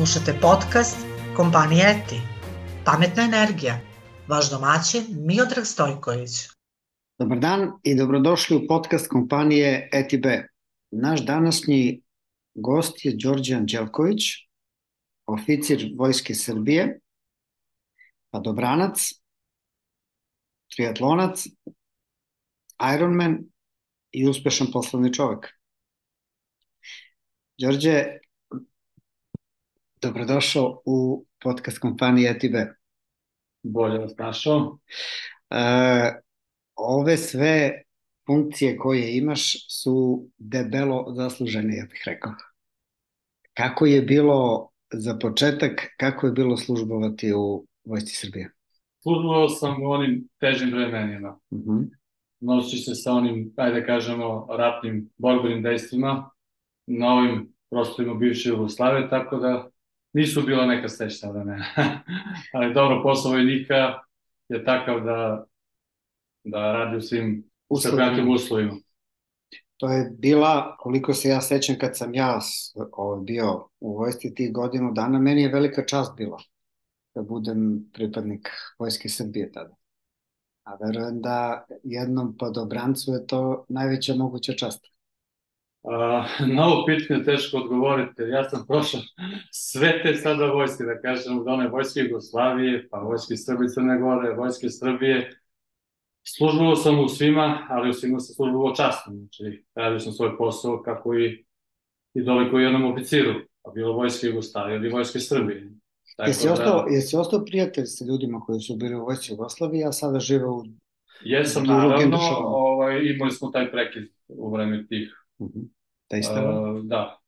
Slušate podcast kompanije ETI. Pametna energija. Vaš domaćin Miodrag Stojković. Dobar dan i dobrodošli u podcast kompanije ETB. Naš današnji gost je Đorđe Anđelković, oficir Vojske Srbije, padobranac, triatlonac, Ironman i uspešan poslovni čovek. Đorđe, dobrodošao u podcast kompanije ETB. Bolje vas našao. Ove sve funkcije koje imaš su debelo zaslužene, ja bih rekao. Kako je bilo za početak, kako je bilo službovati u Vojsci Srbije? Službovao sam u onim težim vremenima. Nosi se sa onim, ajde kažemo, ratnim borbenim dejstvima na ovim prostorima bivše Jugoslavije, tako da nisu bila neka srećna vremena. Ali dobro, posao vojnika je takav da radi u svim uslovnim uslovima. To je bila, koliko se ja sećam kad sam ja bio u vojsci tih godinu dana, meni je velika čast bila da budem pripadnik Vojske Srbije tada. A verujem da jednom padobrancu je to najveća moguća čast. Na ovo pitanje teško odgovoriti, ja sam prošao sve te sada vojske, da kažem, od one Vojske Jugoslavije, pa Vojske Srbije Crne Gore, Vojske Srbije. Službovao sam u svima, ali u svima sam službovao časno. Znači, radio sam svoj posao kako i doliko jednom oficiru, pa bilo Vojske Jugoslavije ili Vojske Srbije. Jesi ostao prijatelj sa ljudima koji su bili u Vojsci Jugoslavije, a sada žive u... Jesam, naravno, imali smo taj prekid u vreme tih. Da,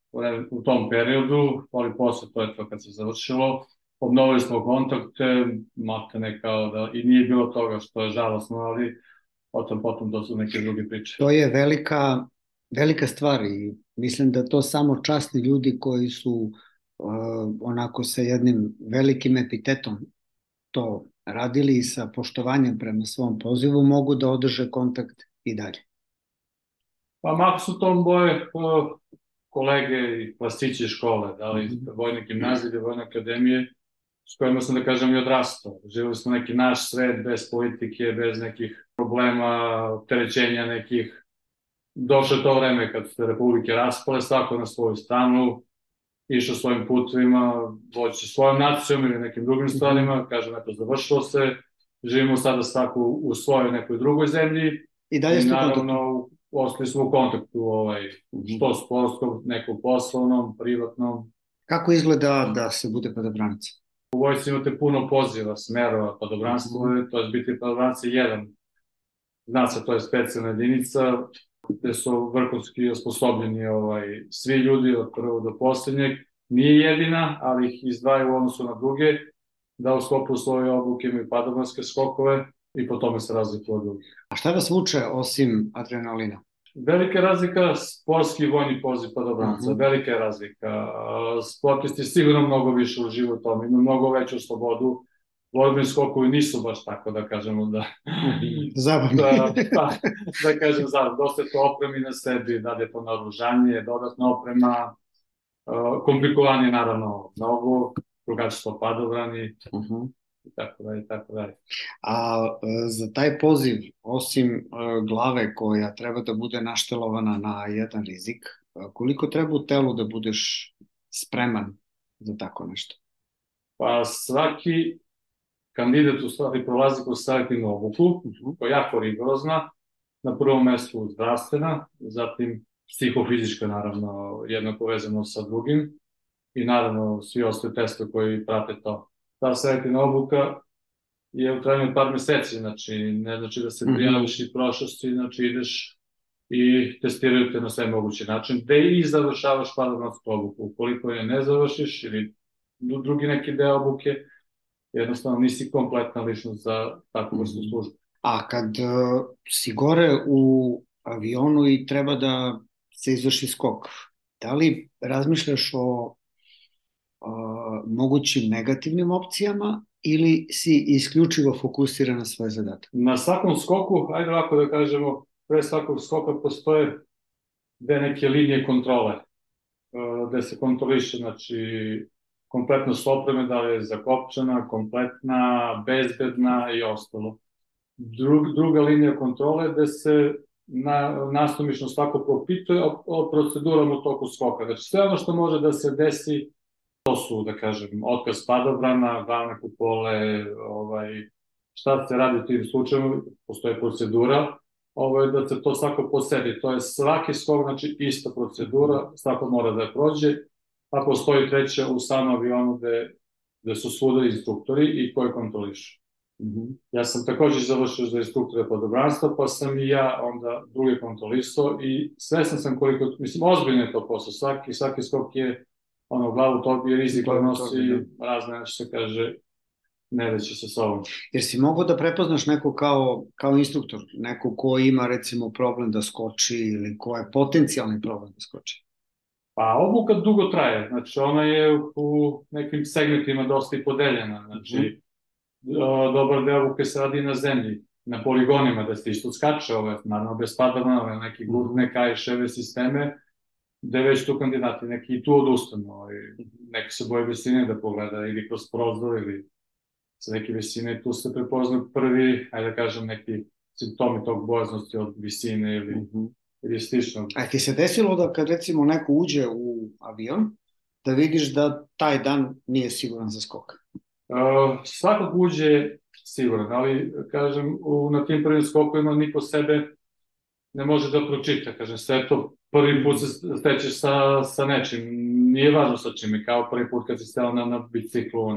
u tom periodu, ali posle to je to kad se završilo. Obnovili smo kontakte, matane kao da i nije bilo toga što je žalosno, ali potom to su neke druge priče. To je velika stvar i mislim da to samo časni ljudi koji su onako sa jednim velikim epitetom to radili i sa poštovanjem prema svom pozivu mogu da održe kontakt i dalje. Pa mako su to moje kolege i klasići škole, da li vojne gimnazije ili vojne akademije, s kojima sam, da kažem, i odrastao. Živeli smo neki naš svet bez politike, bez nekih problema, opterećenja nekih. Došlo je to vreme kad su te republike raspale, svako na svoju stranu, išao svojim putovima, voći svojom nacijom ili nekim drugim stvarima, kažem, eto, završilo se, živimo sada svako u svojoj nekoj drugoj zemlji i naravno ostali smo u kontaktu, što sportskom, nekom poslovnom, privatnom. Kako izgleda da se bude padobranac? U vojsci imate puno poziva, smerova, padobranstvo, to je biti padobranac je jedan. Zna se, to je specijalna jedinica gde su vrhunski osposobljeni svi ljudi od prvog do poslednjeg. Nije jedina, ali ih izdvaju u odnosu na druge, da u sklopu svoje obuke imaju padobranske skokove i po tome se razlikuju od drugih. A šta vas vuče osim adrenalina? Velika razlika, sportski i vojni poziv padobranca, velika je razlika. Sportisti sigurno mnogo više uživu u tome, imaju mnogo veću slobodu. Borbeni skokovi nisu baš tako, da kažemo, zabavni. Da kažem, dosta je to opremi na sebi, da je to naoružanje, dodatna oprema, komplikovanje naravno mnogo, drugačije padobrani, i tako dalje. A za taj poziv, osim glave koja treba da bude naštelovana na jedan rizik, koliko treba u telu da budeš spreman za tako nešto? Pa svaki kandidat u stvari prolazi kroz selektivnu obuku, koja je jako rigorozna, na prvom mestu zdravstvena, zatim psihofizička, naravno, jednako vezano sa drugim, i naravno svi ostali testovi koji prate to. Ta selektivna obuka je u trajanju od par meseci, znači ne znači da se prijaviš i prošlosti, znači ideš i testiraju te na sve mogući način, gde i završavaš padobransku obuku. Ukoliko je ne završiš ili drugi neki deo obuke, jednostavno nisi kompletna ličnost za takvu vrstu službe. A kad si gore u avionu i treba da se izvrši skok, da li razmišljaš o mogućim negativnim opcijama ili si isključivo fokusiran na svoj zadatak? Na svakom skoku, ajde ovako da kažemo, pre svakog skoka postoje dve neke linije kontrole, gde se kontroliše, znači, kompletno s opreme, da li je zakopčana, kompletna, bezbedna i ostalo. Druga linija kontrole gde se nasumično svako propituje o procedurama u toku skoka. Znači sve ono što može da se desi, to su, da kažem, otkaz padobrana, glavne kupole, šta se radi u tim slučajima, postoje procedura, da se to svako posedi. To je svaki skok, znači ista procedura, svako mora da je prođe, pa postoji treća u samom avionu gde su svuda instruktori i koji kontrolišu. Ja sam takođe završio za instruktora padobranstva, pa sam i ja onda drugi kontrolisao i svesan sam koliko, mislim, ozbiljno je to posao, svaki skok je glavu tobi je rizik da nosi razne, što se kaže, nereći sa sobom. Jer si mogao da prepoznaš neko kao instruktor, neko ko ima recimo problem da skoči ili ko je potencijalni problem da skoči? Pa obuka dugo traje, znači ona je u nekim segmentima dosta i podeljena, znači dobar deo obuke se radi na zemlji, na poligonima, da se isto skače, naravno bez padobana, neki gurne, kajševe sisteme, gde već tu kandidati neki i tu odustanu, neki se boje visine da pogleda ili kroz prozor ili sa neke visine, tu se prepoznaju prvi, ajde da kažem, neki simptomi tog bojaznosti od visine ili slično. A ti se desilo da kad recimo neko uđe u avion, da vidiš da taj dan nije siguran za skok? Svakog uđe siguran, ali kažem, na tim prvim skokovima niko sebe ne može da pročita, kažem, sve to prvi put se stećeš sa nečim, nije važno sa čim, kao prvi put kad si steo na biciklu,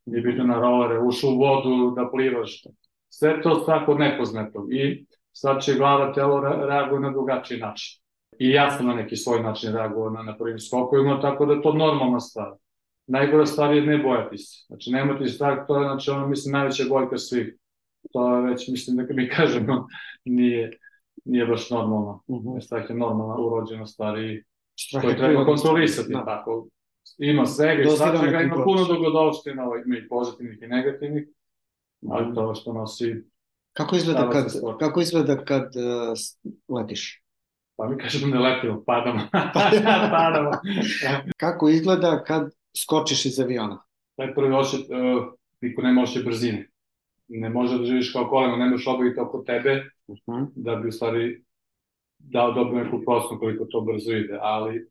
nije bitno na rolere, ušao u vodu da plivaš, sve to svako nepoznato i sad će glava, telo reaguje na drugačiji način. I ja sam na neki svoj način reagovao na prvim skokovima, tako da je to normalna stvar. Najgora stvar je ne bojati se, znači nemati strah, to je, znači, mislim, najveća bojka svih, to je već, mislim, da mi kažemo, nije baš normalno. Strah je normalna, urođena stvar i koju treba kontrolisati, tako. Ima svega i svačega, ima puno dogodovština, ima i pozitivnih i negativnih, ali to što nosi... Kako izgleda kad letiš? Pa mi kažemo da letimo, padamo. Kako izgleda kad skočiš iz aviona? Taj prvi ošet, niko nema ošet brzine. Ne može da živiš kao kolema, nemaš obaviti oko tebe, da bi u stvari dao dobro neku prosnu koliko to brzo ide, ali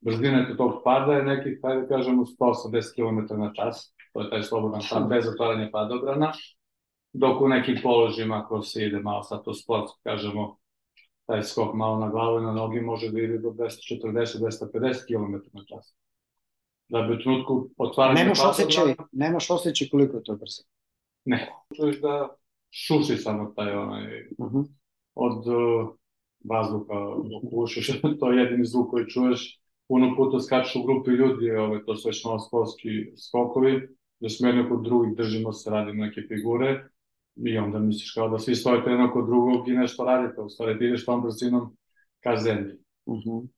brzina tog pada je nekih, da kažemo, 180 km na čas, to je taj slobodan pad, bez otvaranja padobrana, dok u nekim položima, ako se ide malo sad to sportsko, kažemo, taj skok malo na glavu i na nogi može da ide do 240-250 km na čas. Da bi u trenutku otvaranja padobrana... Nemaš osjećaj koliko je to brzo? Ne. Čuješ da šuši samo taj od vazduha okušiš, to je jedini zvuk koji čuješ. Puno puta skaču u grupi ljudi, to su već malo sportski skokovi, da smo jedno kod drugih držimo se, radimo neke figure i onda misliš kao da svi stojite jedno kod drugog i nešto radite, u stvari ti ideš tom brzinom ka zemlji.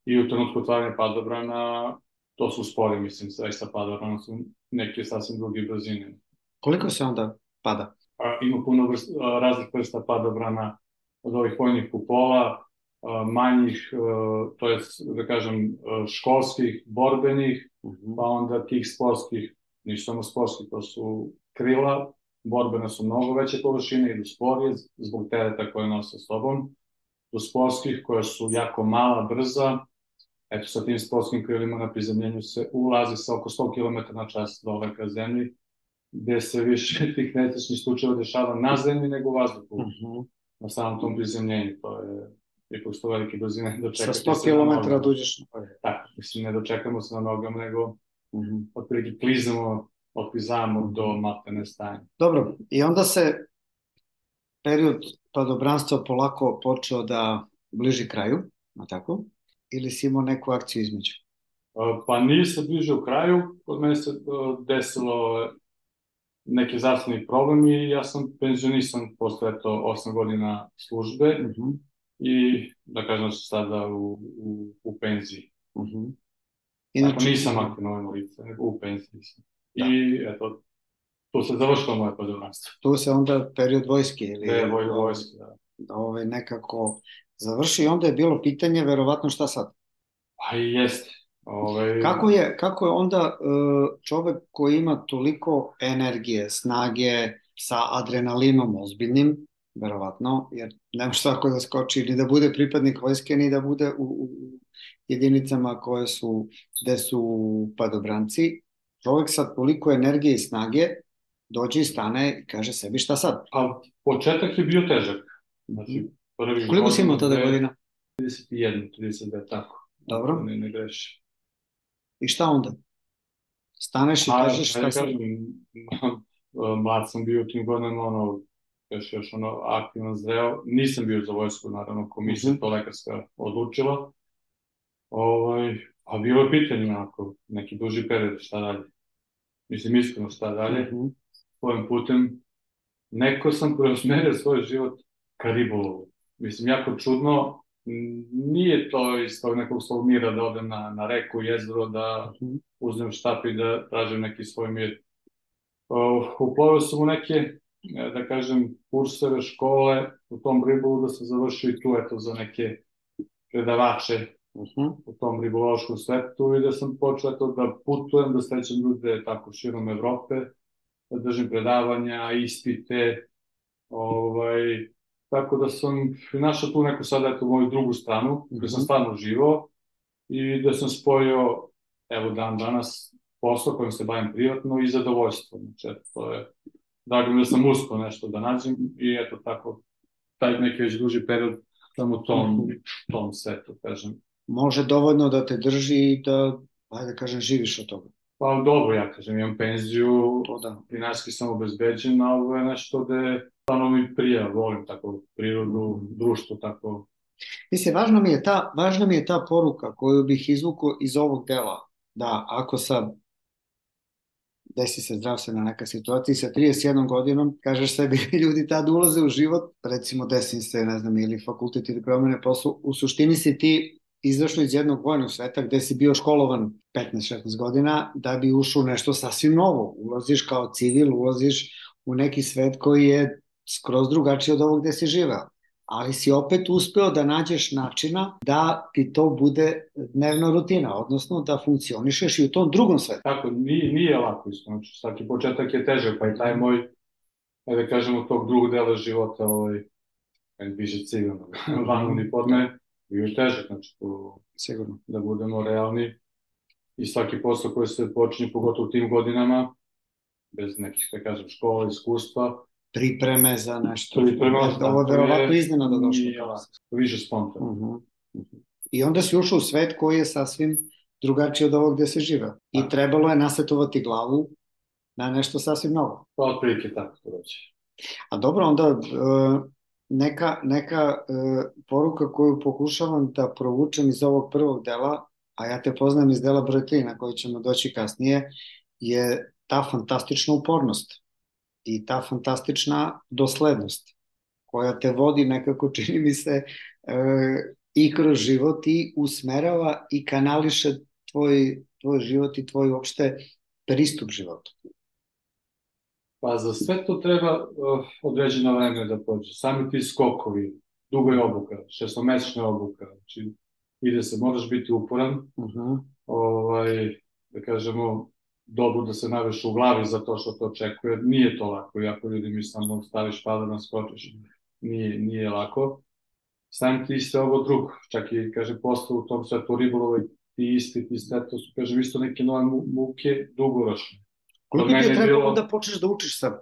I u trenutku otvaranja padobrana, to su spori, mislim, sve sa padobranom su neke sasvim druge brzine. Koliko se onda pada? Ima puno raznih vrsta padobrana, od ovih vojnih kupola, manjih, to je, da kažem, školskih, borbenih, pa onda tih sportskih, nisu samo sportskih, to su krila, borbene su mnogo veće površine, idu sporije zbog tereta koje nose s sobom, do sportskih koje su jako mala, brza, eto sa tim sportskim krilima na prizemljenju se ulazi sa oko 100 km na čas dole ka zemlji, gde se više tih nesrećnih slučajeva dešava na zemlji nego u vazduhu, na samom tom prizemljenju, to je ipak što velike brzine dočekati se na nogama. Sa 100 km dođeš na noge. Tako, mislim, ne dočekamo se na nogama, nego otprilike otklizamo do materne stanje. Dobro, i onda se period padobranstva polako počeo da bliži kraju, na tako? Ili si imao neku akciju između? Pa nije se bližio kraju, kod mene se desilo neki zdravstveni problem i ja sam penzionisan posle 8 godina službe i da kažem da sam sada u penziji. Tako nisam aktivno lice, nego u penziji sam. I eto, tu se završilo moje padobranstvo. Tu se onda period vojske ili... Vojske, da. Nekako završi i onda je bilo pitanje verovatno šta sad? Pa i jeste. Kako je onda čovek koji ima toliko energije, snage, sa adrenalinom ozbiljnim, verovatno, jer nema svako da skoči ni da bude pripadnik vojske, ni da bude u jedinicama gde su padobranci. Čovek sa toliko energije i snage dođe i stane i kaže sebi šta sad? A početak je bio težak. Znači, koliko si imao tada godina? 31, 32, tako. Dobro. Ne greši. I šta onda? Staneš i kažeš šta sad? Mlad sam bio u tim godinama, još aktivno zreo. Nisam bio za vojsku, naravno, komisija to lekarska odlučila. A bilo je pitanje, neki duži period, šta dalje. Mislim, iskreno šta dalje. Svojim putem, neko sam preusmerio svoj život ka ribolovu. Mislim, jako čudno, nije to iz tog nekog svog mira da odem na reku, jezero, da uzmem štap i da tražim neki svoj mir. Uplovio sam u neke, da kažem, kurseve, škole, u tom ribolovu da sam završio i tu, eto, za neke predavače u tom ribološkom svetu i da sam počeo da putujem, da srećem ljude tako širom Evrope, da držim predavanja, ispite, tako da sam našao tu neku sada moju drugu stranu, gde sam stvarno uživao i da sam spojio, evo dan danas, posao kojim se bavim privatno i zadovoljstvo. Znači, to je, drago mi da sam uspio nešto da nađem i eto tako, taj neki već duži period sam u tom svetu, kažem. Može dovoljno da te drži i da, ajde kažem, živiš od toga. Pa dobro, ja kažem, imam penziju, finansijski sam obezbeđen, a ovo je nešto gde stvarno mi prija, volim tako prirodu, društvo, tako. Mislim, važna mi je ta poruka koju bih izvukao iz ovog dela, da ako sad desi se zdravstvena neka situacija i sa 31 godinom, kažeš sebi, ljudi tada ulaze u život, recimo desi se, ne znam, ili fakultet ili promene poslu, u suštini si ti izašao iz jednog vojnog sveta gde si bio školovan 15-16 godina da bi ušao u nešto sasvim novo. Ulaziš kao civil, ulaziš u neki svet koji je skroz drugačiji od ovog gde si živeo. Ali si opet uspeo da nađeš načina da ti to bude dnevna rutina, odnosno da funkcionišeš i u tom drugom svetu. Tako, nije lako isto, znači svaki početak je težak, pa i taj moj, da kažemo, tog drugog dela života, više civilno, van uniforme, bio je težak, znači tu, sigurno, da budemo realni i svaki posao koji se počinje, pogotovo u tim godinama, bez nekih, da kažem, škola, iskustva, pripreme za nešto. Ovo je verovatno iznenada došlo. Više spontano. I onda si ušao u svet koji je sasvim drugačiji od ovog gde se žive. I trebalo je nasetovati glavu na nešto sasvim novo. Pa otprilike tako to reći. A dobro, onda neka poruka koju pokušavam da provučem iz ovog prvog dela, a ja te poznajem iz dela broj 3 na koji ćemo doći kasnije, je ta fantastična upornost i ta fantastična doslednost koja te vodi nekako, čini mi se, i kroz život i usmerava i kanališe tvoj život i tvoj uopšte pristup životu. Pa za sve to treba određeno vreme da prođe. Sami ti skokovi, duga je obuka, 6-mesečna obuka, znači ide se, moraš biti uporan, da kažemo, dobro da se naveš u glavi za to što te očekuje. Nije to lako, jako ljudi mi samo staviš pada da skočiš. Nije lako. Sam ti se ovo drugo, čak i, kaže, posle u tom svetu ribolovoj, ti ispiti, to su, kaže, isto neke nove muke, dugoročne. Koliko ti je trebalo da počneš da učiš sa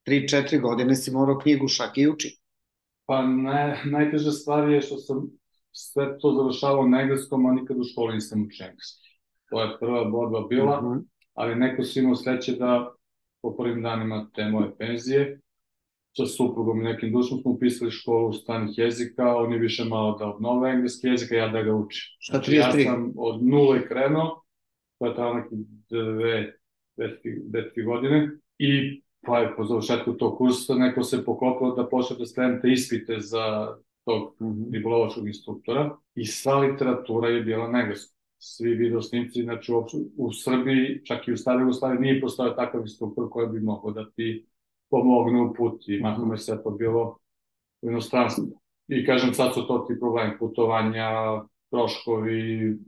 33-4 godine, si morao knjigu šake i uči? Pa najteža stvar je što sam sve to završavao na engleskom, a nikad u školi nisam učio engleski. To je prva borba bila, ali neko si imao sreće da po prvim danima te moje penzije, sa suprugom i nekim dušom smo upisali školu stranih jezika, oni više malo da obnove engleski jezik, a ja da ga učim. Šta 33? Ja sam od nule krenuo, to je trajalo neke 2-3 godine, i pa je po završetku tog kursa neko se poklopilo da počne da spremite ispite za tog ribolovačkog instruktora i sva literatura je bila na engleskom. Svi videosnimci, znači u Srbiji, čak i u staroj Jugoslaviji, nije postojao takav instruktor koji bi mogao da ti pomogne u put i mahom je sve to bilo u inostranstvu. I kažem, sad su to ti problemi putovanja, troškovi,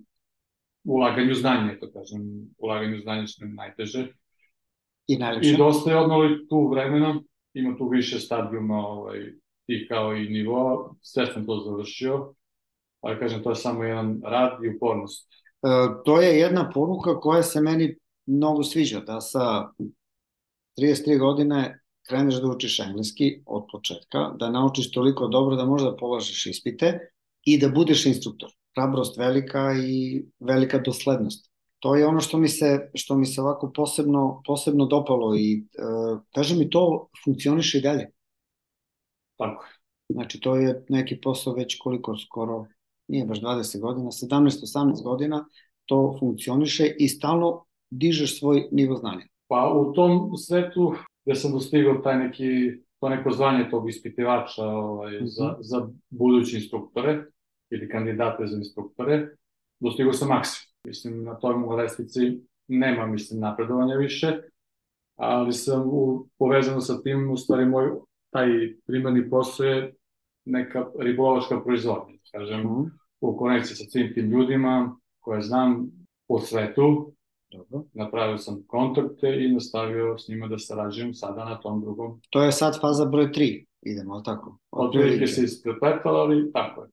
ulaganju znanja, to kažem, ulaganju znanja što je najteže. I najlepše. I dosta je odmah tu vremena, ima tu više stadijuma i kao i nivoa, sve sam to završio, ali kažem, to je samo jedan rad i upornost. To je jedna poruka koja se meni mnogo sviđa, da sa 33 godine kreneš da učiš engleski od početka, da naučiš toliko dobro da možda polažeš ispite i da budeš instruktor. Hrabrost velika i velika doslednost. To je ono što mi se ovako posebno dopalo i kaže mi to funkcioniše i dalje. Tako je. Znači to je neki posao već koliko skoro, nije baš 20 godina, 17-18 godina to funkcioniše i stalno dižeš svoj nivo znanja. Pa u tom svetu gde sam dostigao to neko zvanje tog ispitivača za buduće instruktore ili kandidate za instruktore, dostigao sam maksimum. Mislim, na toj mojoj lestvici nema, napredovanja više, ali sam povezano sa tim, u stvari moj taj primarni posao je neka ribolovačka proizvodnja, kažem, u konekciji sa svim tim ljudima koje znam po svetu. Dobro. Napravio sam kontakte i nastavio s njima da sarađujem sada na tom drugom. To je sad faza broj 3, idemo, ali tako? Otprilike se isprepletala, ali tako je.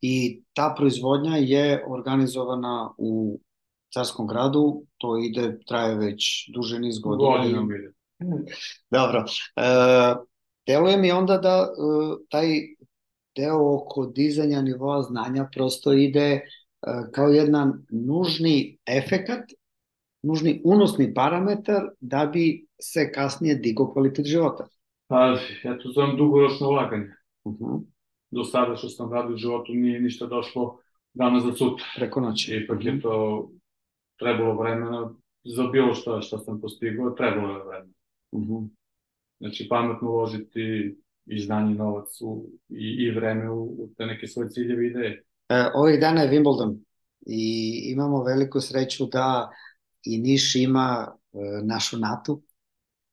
I ta proizvodnja je organizovana u Carskom gradu, to traje već duže niz godina. Godinom ide. Dobro. Deluje mi onda da taj deo oko dizanja nivoa znanja prosto ide kao jedan nužni efekat, nužni unosni parametar da bi se kasnije digao kvalitet života. Pa, ja to zovem dugoročno ulaganje. Do sada što sam radio u životu nije ništa došlo danas za sutra. Preko noći. Ipak je to trebalo vremena, za bilo što sam postigao, trebalo je vremena. Znači, pametno uložiti i znanje, novac i vreme u te neke svoje ciljeve i ideje. Ovih dana je Wimbledon i imamo veliku sreću da i Niš ima našu Natu,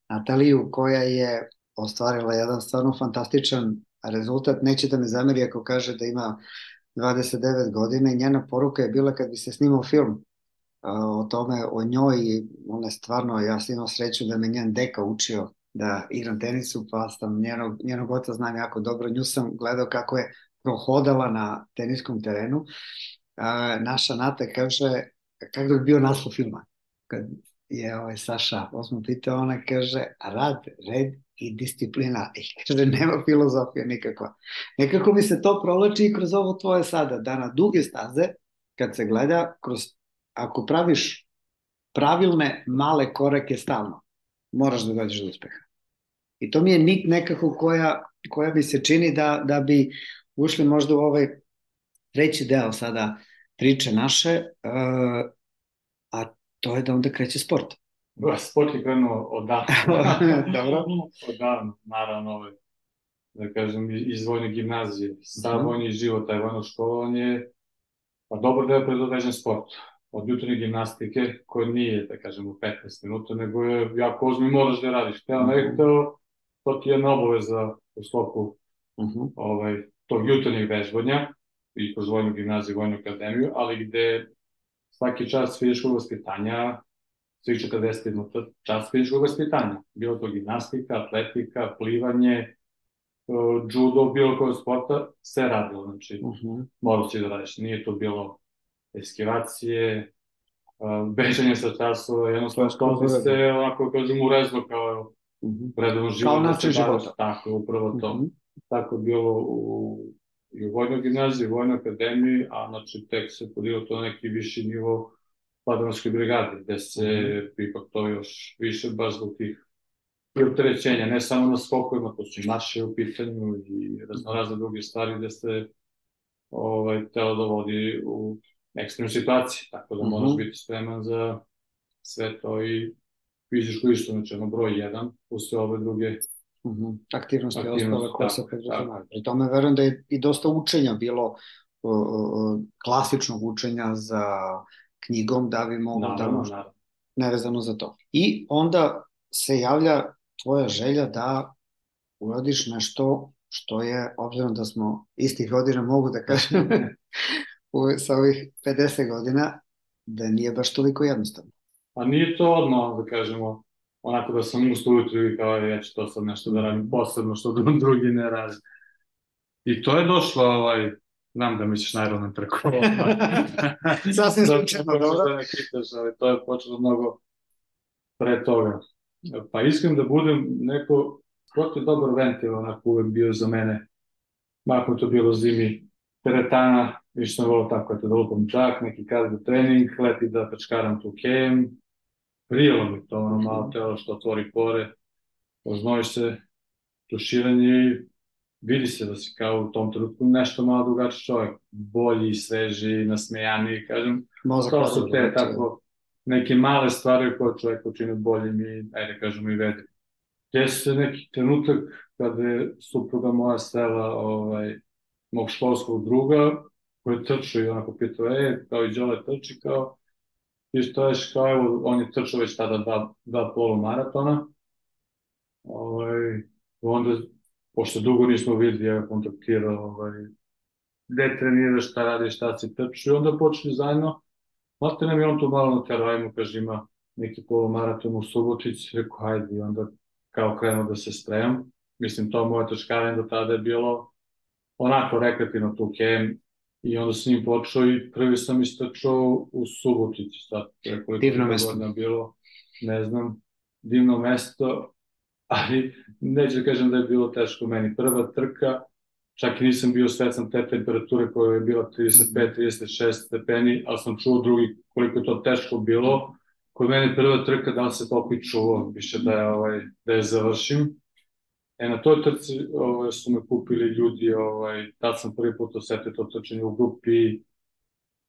Nataliju, koja je ostvarila jedan stvarno fantastičan rezultat. Neće da me zameri ako kaže da ima 29 godina i njena poruka je bila kad bi se snimao film o tome, o njoj, ona je stvarno, ja sam imao sreću da me njen deka učio da igram tenisu, pa sam njenog oca znam jako dobro, nju sam gledao kako je prohodala na teniskom terenu. Naša Nata kaže, kako je bio naslov filma? Kad je Saša osmo pitao, ona kaže, rad, red i disciplina. I kaže, nema filozofija nikakva. Nekako mi se to provlači i kroz ovo tvoje sada, da na duge staze, kad se gleda, ako praviš pravilne male korake stalno, moraš da dođeš do uspeha. I to mi je nit nekako koja mi se čini da bi ušli možda u ovaj treći deo sada priče naše, a to je da onda kreće sport. Sport je krenuo odavno. Dobro. Odavno, naravno, da kažem, iz vojne gimnazije. Sav vojni život, taj vojno školovanje, pa dobro da je predodređen sport. Od jutarnje gimnastike, koja nije, da kažem, u 15 minuta, nego je jako ozbiljno, moraš da radiš. Hteo ne hteo, to ti je jedna obaveza u sklopu tog jutarnjeg vežbanja i kroz vojnu gimnaziju, vojnu akademiju, ali gde svaki čas fizičkog vaspitanja, svih 40 minuta čas fizičkog vaspitanja. Bilo to gimnastika, atletika, plivanje, judo, bilo koje sporta, sve radilo. Znači, morao si da radiš. Nije to bilo eskivacije, bežanje sa časova, jednostavno to bi se, onako kažem, urezlo kao redovno život. Kao način života. Tako, upravo to. Tako je bilo i u vojnoj gimnaziji, u vojnoj akademiji, a znači tek se podiglo to neki viši nivo padanoške brigade, gde se ipak to još više baš zbog tih opterećenja, ne samo na skokovima, to su naše u pitanju i razne druge stvari gde se telo dovodi u ekstremnu situaciju, tako da moraš biti spreman za sve to i fizičko isto, znači ono broj 1, uz sve ove druge aktivnosti ostale koje se preduzimaju. Pri tome verujem da je i dosta učenja bilo, klasičnog učenja za knjigom, da bi mogo da možda nevezano za to. I onda se javlja tvoja želja da uradiš nešto što je, obzirom da smo istih godina, mogu da kažem, sa ovih 50 godina, da nije baš toliko jednostavno. A nije to odmah, da kažemo, onako da sam ustao ujutru i kao ja ću to sad nešto da radim posebno, što drugi ne radi. I to je došlo, znam da misliš na Ironman trku. Sasvim slučajno, dobro. Da ne kitaš, ali to je počelo mnogo pre toga. Pa iskren da budem neko, ko je dobar ventil, onako uvek bio za mene. Mako to bilo zimi, teretana, više sam volao tako, da lupam čak, neki cardio trening, leti da pečkaram tu kem, prijelo mi to, malo telo što otvori pore, oznojiš se, tuširanje i vidi se da si kao u tom trenutku nešto malo drugačiji čovjek, bolji, sveži, nasmejaniji, kažem, to su te tako neke male stvari koje čovjek učine boljim i, ajde kažemo, i vedi. Jeste se neki trenutak kada je supruga moja sela mog školskog druga, koji je trčao i onako pitao, kao i Đole trči, kao, i što ješ, kao, evo, on je trčao već tada dva polumaratona, onda, pošto dugo nismo videli, ja ga kontaktirao, gde treniraš, šta radiš, šta si trčao, i onda počeli zajedno, malo nam je on tu malo naterao, ajmo, kaže, ima neki polumaraton u Subotici, rekao, hajde, i onda kao krenuo da se spremam. Mislim, to moje trčkavanje do tada je bilo onako rekreativno tu kem, i onda s njim počeo i prvi sam istračao u Subotici, sad divno mesto bilo, ne znam, divno mesto, ali neću da kažem da je bilo teško meni. Prva trka, čak i nisam bio svestan te temperature koja je bila 35-36 stepeni, ali sam čuo drugi koliko je to teško bilo. Kod mene prva trka da se toliko i čuo, više da je završim. Na toj trci su me kupili ljudi, tad sam prvi put osetio to trčanje u grupi,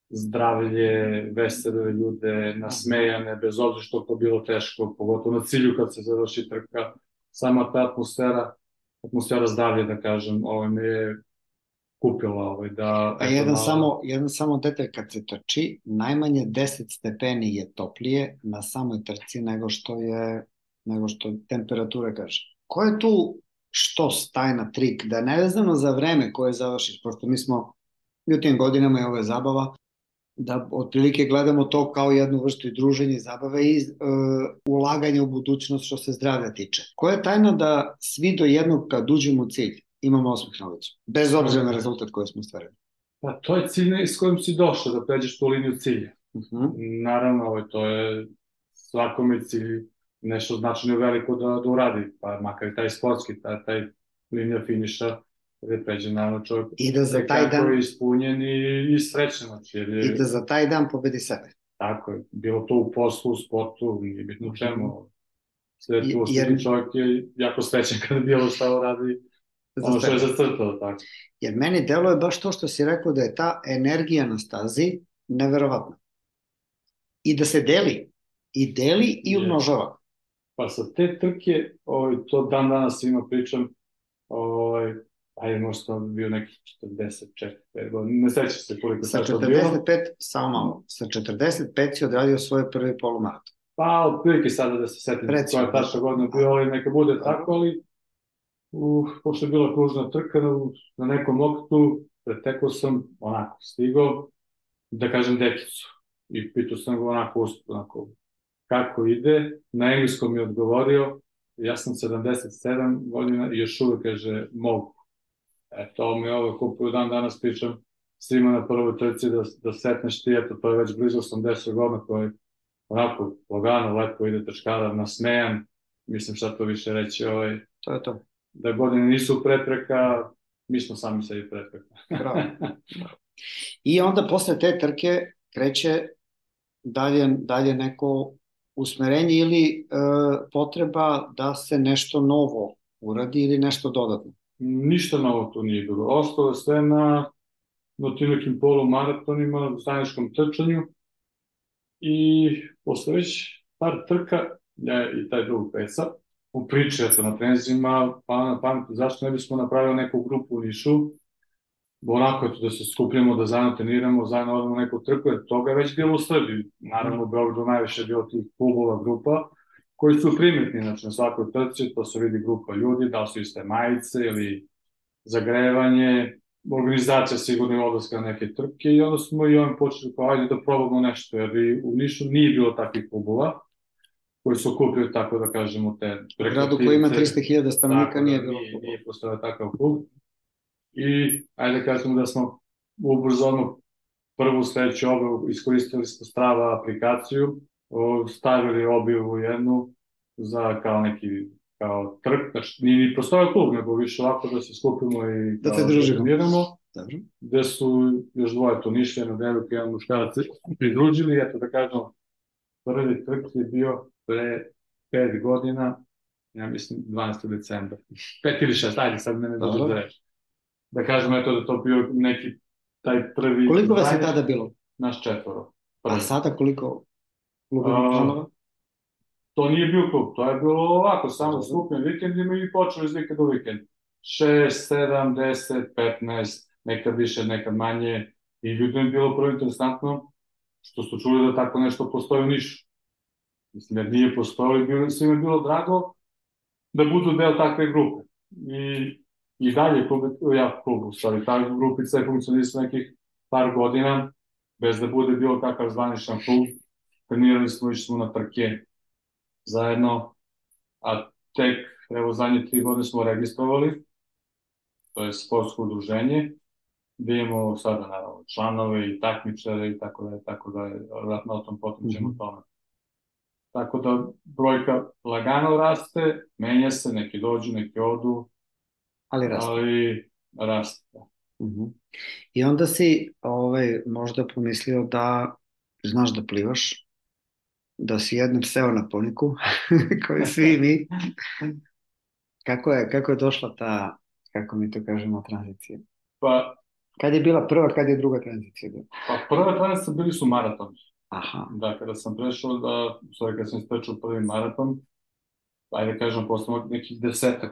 zdravlje, vesele ljude, nasmejane, bez obzira što to bilo teško, pogotovo na cilju kad se završi trka. Sama ta atmosfera zdravlja, da kažem, me je kupila da... A jedan samo detalj, kad se trči, najmanje 10 stepeni je toplije na samoj trci nego što temperatura kaže. Ko je tu tajna, trik, da nevezano za vreme koje završiš, pošto mi smo u tim godinama i ove zabava, da otprilike gledamo to kao jednu vrstu i druženja i zabave i ulaganja u budućnost što se zdravlja tiče. Koja je tajna da svi do jednog kad uđemo u cilj imamo osmeh na licu, bez obzira na rezultat koji smo stvarili? Pa to je cilj s kojim si došao, da pređeš tu liniju cilja. Naravno, to je svakome cilj nešto značajno veliko da uradi, pa makar i taj sportski, taj linija finiša, gde pređe naravno čovjek kako je ispunjen i srećen. I da za taj dan pobedi sebe. Tako je, bilo to u poslu, u sportu, nije bitno u čemu. Sve tu ostali čovjek je jako srećen kada bilo šta uradi, ono što je zacrtao. Jer meni deluje baš to što si rekao da je ta energija na stazi neverovatna. I da se deli i umnožava. Pa sa te trke, to dan danas svima pričam, ajde, možda to bio neki 44 godina, ne sećam se koliko sa 45, samo malo, sa 45 si odradio svoj prvi polumaraton. Pa, otprilike sada da se setim koja je tačna godina bio, ali neka bude tako, ali pošto je bila kružna trka na nekom oktu, pretekao sam, onako, stigao, da kažem dekicu, i pitao sam ga onako, kako ide, na engleskom mi je odgovorio, ja sam 77 godina i još uvek kaže mogu. To mi je koliko dan danas pričam svima na prvoj trci da setneš ti, to je već blizu 80 godina koji onako lagano, lepo ide trčkara, nasmejan, mislim šta to više reći, to je to. Da godine nisu prepreka, mi smo sami sebi prepreka. Bravo. I onda posle te trke kreće dalje neko usmerenje ili potreba da se nešto novo uradi ili nešto dodatno? Ništa novo tu nije bilo. Ostalo je sve na tim nekim polumaratonima, zajedničkom trčanju i posle već par trka, ja i taj drug Peca, u priči na trenzima, pa na pamet, zašto ne bismo napravili neku grupu u Nišu, onako da se skupljamo, da zajedno treniramo, zajedno odemo neku trku, jer toga je već bilo u Srbiji. Naravno, u Beogradu najviše je bilo tih klubova, grupa, koji su primetni, znači na svakoj trci, to se vidi grupa ljudi, da li su iste majice ili zagrevanje, organizacija sigurno je odlaska na neke trke i onda smo i on počeli kao ajde da probamo nešto, jer u Nišu nije bilo takvih klubova koji su okupili, tako da kažemo, te U gradu koji ima 300.000 stanovnika nije bilo klubova. Nije postojao takav klub. I ajde da kažemo da smo ubrzo prvu sledeću objavu iskoristili smo Strava aplikaciju, stavili objavu jednu za kao neki trk, znači nije ni postojao klub, nego više ovako da se skupimo i da se družimo. Gde su još dvoje to Nišljeno, devojka i jedan muškarac pridružili, eto da kažem, prvi trk je bio pre 5 godina, ja mislim 12. decembra, 5 ili 6, ajde sad mene dođe da reći. Da kažem, eto da to bio neki taj prvi... Koliko vas je tada bilo? Naš 4. A sada koliko klubovih članova? To nije bio klub, to je bilo ovako, samo skupim vikendima i počeli iz vikenda u vikend. 6, 7, 10, 15, nekad više, nekad manje. I ljudima je bilo prvo interesantno što su čuli da tako nešto postoji u Nišu. Mislim, jer nije postojalo, svima je bilo drago da budu deo takve grupe. I dalje klub, u stvari, ta grupica je funkcionisala nekih par godina, bez da bude bilo takav zvaničan klub. Trenirali smo, išli smo na trke zajedno, a tek, evo, zadnje 3 godine smo registrovali, to je sportsko udruženje, gde imamo sada, naravno, članove i takmičare i tako da je, vratno o tom potom ćemo tome. Tako da brojka lagano raste, menja se, neki dođu, neki odu, ali raste. I onda si možda pomislio da znaš da plivaš, da si jednom seo na poniku, koji svi mi. Kako je došla ta, kako mi to kažemo, tranzicija? Pa... Kad je bila prva, kad je druga tranzicija bila? Pa prva tranzicija bili su maratoni. Aha. Da, kada sam prešao kada sam istrčao prvi maraton, ajde kažem, posle nekih 10-15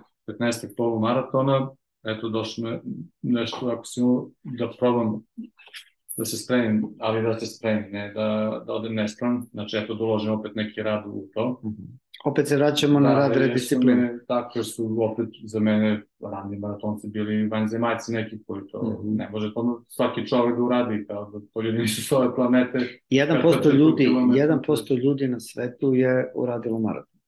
polumaratona, eto, došlo me nešto, ako si da probam da se spremim, ali da se spremim, ne da odem nespram, znači eto, doložim opet neki rad u to. Opet se vraćamo na rad rediscipline. Tako su opet za mene rani maratonci bili vanzemaljci neki koji to ne može to svaki čovek da uradi, kao da to ljudi nisu s ove planete. 1% ljudi na svetu je uradilo maraton.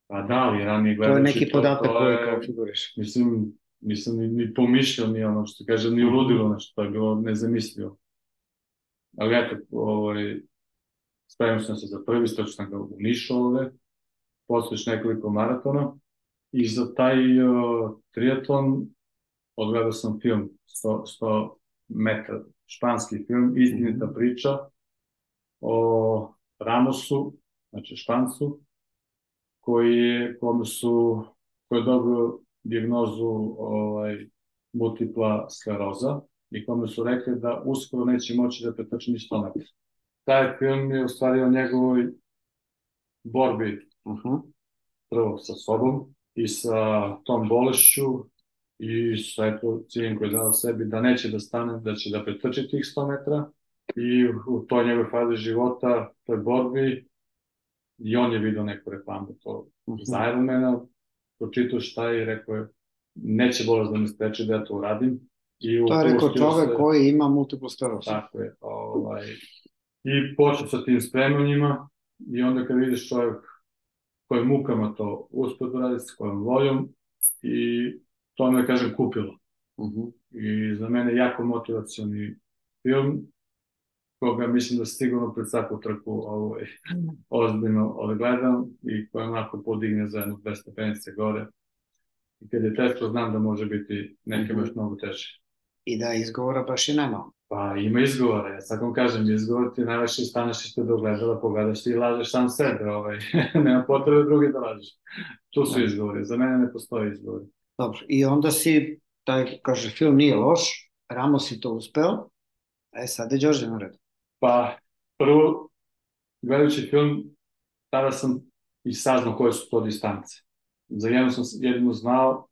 Pa da, ali ranije gledajući... To je neki podatak koji kao figuriš. Mislim, ni pomišljao, ni ono što kažem, ni uludilo nešto, to je bilo nezamislivo. Ali eto, spremio sam se za prvi, stočio sam ga u Nišu ovde, posle nekoliko maratona i za taj triatlon odgledao sam film 100 metara, španski film, istinita priča o Ramosu, znači Špancu, koji je dobio dijagnozu multipla skleroza i kome su rekli da uskoro neće moći da pretrči ni 100 metara. Taj film je u stvari o njegovoj borbi prvo sa sobom i sa tom bolešću i sa ciljem koji je dao sebi da neće da stane, da će da pretrči tih 100 metara i u toj njegove fazi života, toj borbi, i on je vidio neku reklamu to za Ironmana, pročitao šta je i rekao je neće bolest da me spreči da ja to uradim. To je rekao čovek koji ima multiplu sklerozu. Tako je. I počeo sa tim spremanjima i onda kad vidiš čovjek kojim mukama to uspio da radi, s kojom voljom, i to me, kažem, kupilo. I za mene jako motivacioni film, koga mislim da sigurno pred svaku trku ozbiljno odgledam i koja onako podigne za jednu 2 stepenice gore. I kad je teško, znam da može biti neke baš mnogo teže. I da izgovora baš i nema. Pa ima izgovora, ja sad vam kažem, izgovor ti najviše staneš ispred ogledala, pogledaš i lažeš sam sebe, nema potrebe drugi da lažeš. Tu su izgovori, za mene ne postoji izgovori. Dobro, i onda si, kaže, film nije loš, Ramos si to uspeo, sad je Đorđe na redu. Pa, prvo, gledajući film, tada sam i saznao koje su to distance. Za jednu sam jedino znao,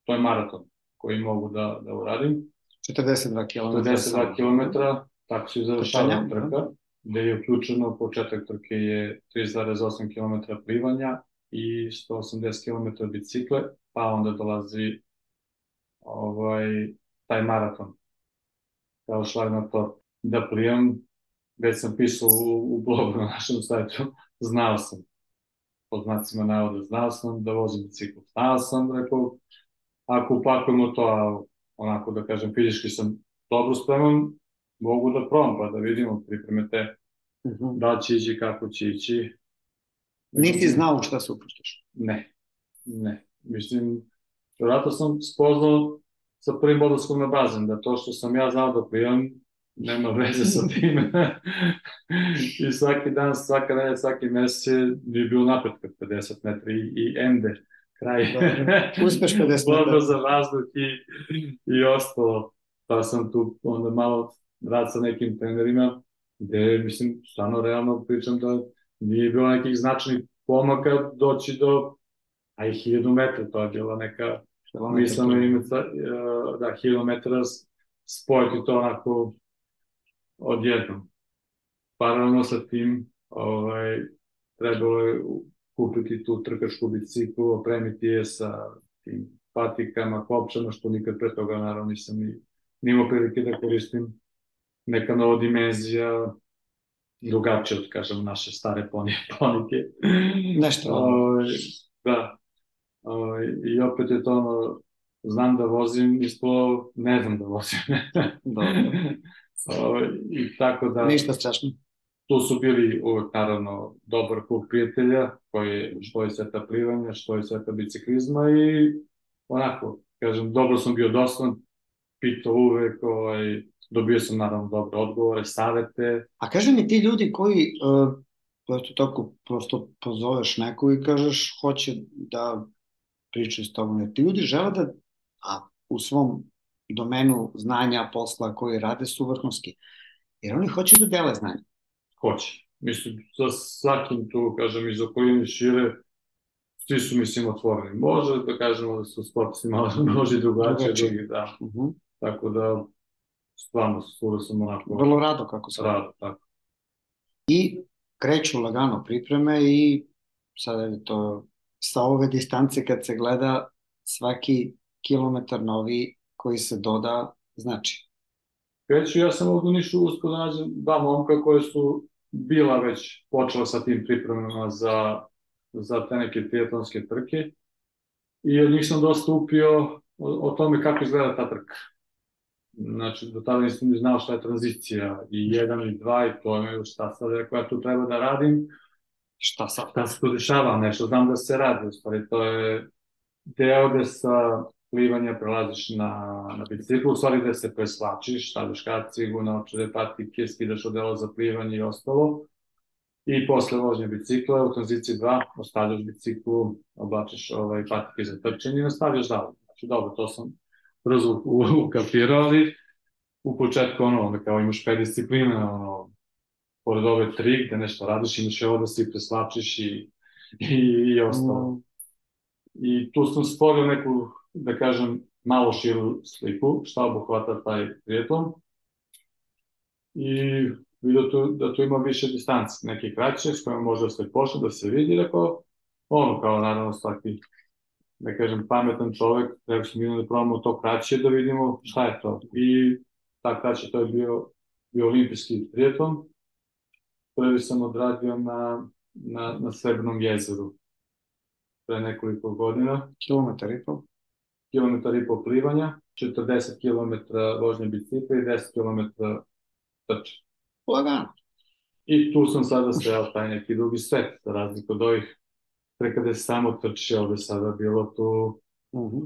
to je maraton koji mogu da uradim. 42 km. 42 km, tako se završava trka, gde je uključeno, početak trke je 3,8 km plivanja i 180 km bicikle, pa onda dolazi taj maraton, kao šlag na to, da plivam, već sam pisao u blogu na našem sajtu, znao sam, pod znacima navoda, znao sam da vozim bicikl, znao sam, rekao, ako upakujemo to, a onako da kažem, fizički sam dobro spreman, mogu da probam, pa da vidimo, pripreme te, da će ići, kako će ići. Nisi znao šta se upuštaš? Ne. Mislim, vjerojatno sam spoznao sa prvim odlaskom na bazen, da to što sam ja znao da plivam, nema veze sa tim. I svaki dan, svaka nedelja, svaki mesec nije bilo napretka 50 metri i ende, kraj. Uspeš 50 metara. Borba za vazduh i ostalo. Pa sam tu onda malo rad sa nekim trenerima, gde, mislim, stvarno realno pričam da nije bilo nekih značajnih pomaka doći do, a i 1000 metra, to je bila neka mislena imeca, da, 1000 metara spojiti to onako odjednom. Paralelno sa tim trebalo je kupiti tu trkačku biciklu, opremiti je sa tim patikama, kopčama, što nikad pre toga naravno nisam ni imao prilike da koristim. Neka nova dimenzija, drugačije od, kažem, naše stare ponike. Nešto. Da. I opet je to ono, znam da vozim, ispalo ne znam da vozim. I tako da... Ništa strašno. Tu su bili uvek, naravno, dobar klub prijatelja, što je sveta plivanja, što je sveta biciklizma i onako, kažem, dobro sam bio doslan, pitao uvek, dobio sam, naravno, dobre odgovore, savete. A kaži mi, ti ljudi koji, tako prosto pozoveš neku i kažeš hoće da pričaju s tobom, ti ljudi žele da, a u svom domenu znanja, posla koji rade su vrhunski, jer oni hoće da dele znanje. Hoće. Mislim, sa svakim tu, kažem, iz okoline šire, svi su, mislim, otvoreni. Može da kažemo da su sportisti malo može i drugačije, drugi, da. Tako da, stvarno, svuda sam onako... Vrlo rado, kako se rado, tako. I kreću lagano pripreme i sada je to sa ove distance kad se gleda svaki kilometar novi koji se doda, znači. Kreću, ja sam ovdje u Nišu uspio da nađem dva momka koje su bila već počela sa tim pripremama za te neke triatlonske trke i od njih sam dosta upio o tome kako izgleda ta trka. Znači, do tada nisam ni znao šta je tranzicija i 1 i 2 i to je šta sad rekao ja tu treba da radim, šta se tu dešava, nešto znam da se radi, u stvari to je deo gde sa plivanja prelaziš na biciklu, u stvari gde se preslačiš, stavljaš kacigu, naočare, patike, skidaš odelo za plivanje i ostalo. I posle vožnje bicikla, u tranziciji 2, ostavljaš biciklu, oblačiš patike za trčanje i nastavljaš dalje. Znači, dobro, to sam brzo ukapirao, ali u početku, onda kao imaš 5 disciplina, pored ove 3 gde nešto radiš, imaš i ovo da se preslačiš i ostalo. I tu sam stvorio neku, da kažem, malo širu sliku, šta obuhvata taj triatlon. I vidio da tu ima više distanci, neke kraće, s kojima može da se počne, da se vidi, rekao, kao naravno svaki, da kažem, pametan čovek, rekao sam da probamo to kraće, da vidimo šta je to. I ta kraće, to je bio olimpijski triatlon. Prvi sam odradio na Srebrnom jezeru pre nekoliko godina. Kilometar i pol? Kilometar i pol plivanja, 40 km vožnje bicikla i 10 km trče. Lagano. I tu sam sada sreo taj neki drugi svet, za razliku od ovih prekada se samo trči, ovde sada bilo tu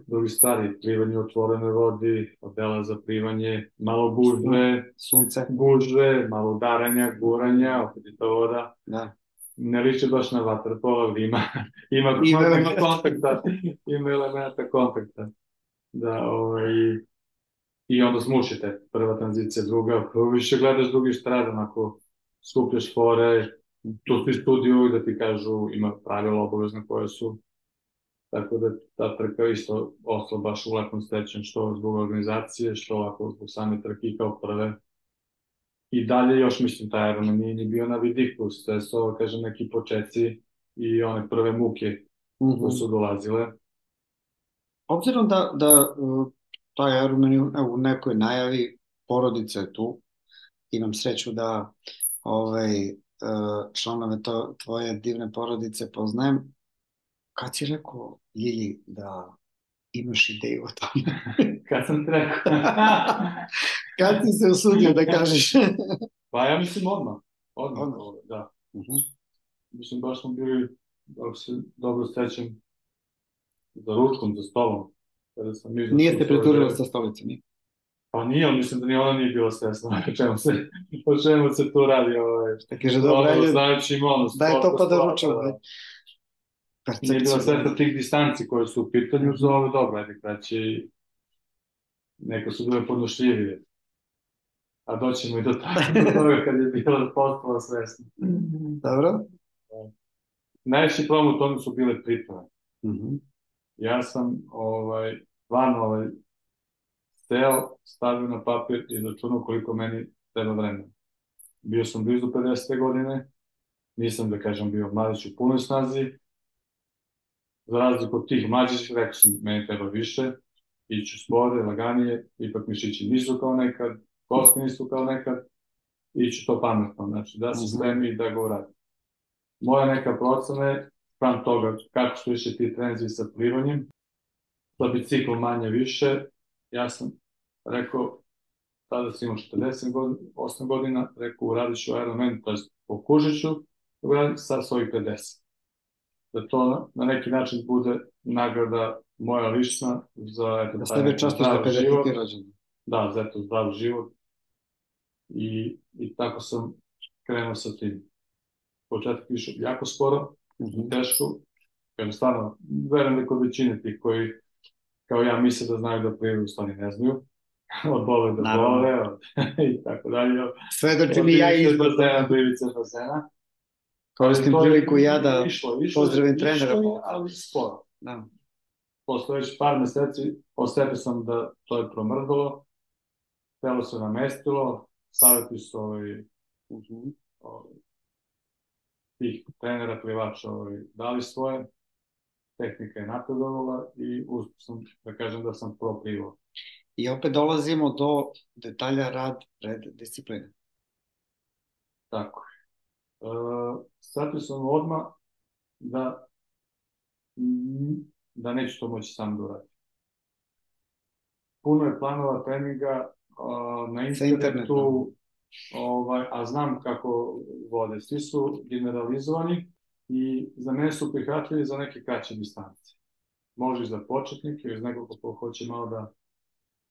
drugi stvari, plivanje u otvorenoj vodi, odela za plivanje, malo gužve, sunce, gužve, malo udaranja, guranja, opet je to voda. Da. Ne liči baš na vaterpolo, ali ima kontakta, ima elementa kontakta. Da, i onda smušite, prva tranzicija, druga, više gledaš drugi štrad, onako skupljaš fore, tu svi studiju da ti kažu, ima pravila obavezne koje su, tako da ta trka isto ostala baš u lepom srećem, što zbog organizacije, što ovako zbog same trke kao prve. I dalje još, mislim, taj Ironman nije ni bio na vidiku, sve su ovo, kažem, neki početci i one prve muke koje su dolazile. Obzirom da taj Ironman je u nekoj najavi, porodica je tu, imam sreću da članove tvoje divne porodice poznajem. Kad si rekao Ljilji da imaš ideju o tome? Kad sam ti rekao? Kad si se usudio da kažeš? Pa ja mislim odmah, da. Mislim, baš smo bili, ako se dobro sećam, za ručkom, za stolom. Nije ste preturili sa stolicom? Pa nije, ali mislim da ni ona nije bila svesna o čemu se tu radi. Kaže, dobro, ajde, daj to pa da ručamo. Nije bila svesna tih distanci koje su u pitanju za ove dobro, ajde kraće, neka su bile podnošljivije. A doćemo i do toga kad je bila postala svesna. Dobro. Najveći problem u tome su bile pripreme. Ja sam stvarno steo, stavio na papir i računao koliko meni treba vremena. Bio sam blizu 50. godine, nisam, da kažem, bio mladić u punoj snazi. Za razliku od tih mlađih, rekao sam, meni treba više, iću spore, laganije, ipak mišići nisu kao nekad, kosti nisu kao nekad, iću to pametno, znači da se spremi i da ga uradim. Moja neka procena je, sprem toga kako su više ti trenzi sa plivanjem, sa biciklom manje više, ja sam rekao, tada sam imao 48 godina, rekao uradit ću Ironman, to je pokušat ću uraditi sa svojih 50. Da to na neki način bude nagrada moja lična za da sebe častiš za 50. rođendan. Da, za eto zdrav život. I tako sam krenuo sa tim. Početak išao jako sporo, teško, jer stvarno verujem da kod većine tih koji kao ja misle da znaju da plivaju, u stvari ne znaju. Od bole do bole, i tako dalje. Sve do čini ja izbog. Blivice bazena. Koristim priliku ja da pozdravim trenera. Ali sporo. Posle već par meseci osetio sam da to je promrdalo, telo se namestilo, savjeti su tih trenera, plivača dali svoje, tehnika je napredovala i uspio sam da kažem da sam proplivao. I opet dolazimo do detalja rad pred discipline. Tako je. Shvatio sam odmah da neću to moći sam da uradim. Puno je planova treninga na internetu, a znam kako vode. Svi su generalizovani i za mene su prihvatljivi za neke kraće distance. Može i za početnike, ili za nekog ko hoće malo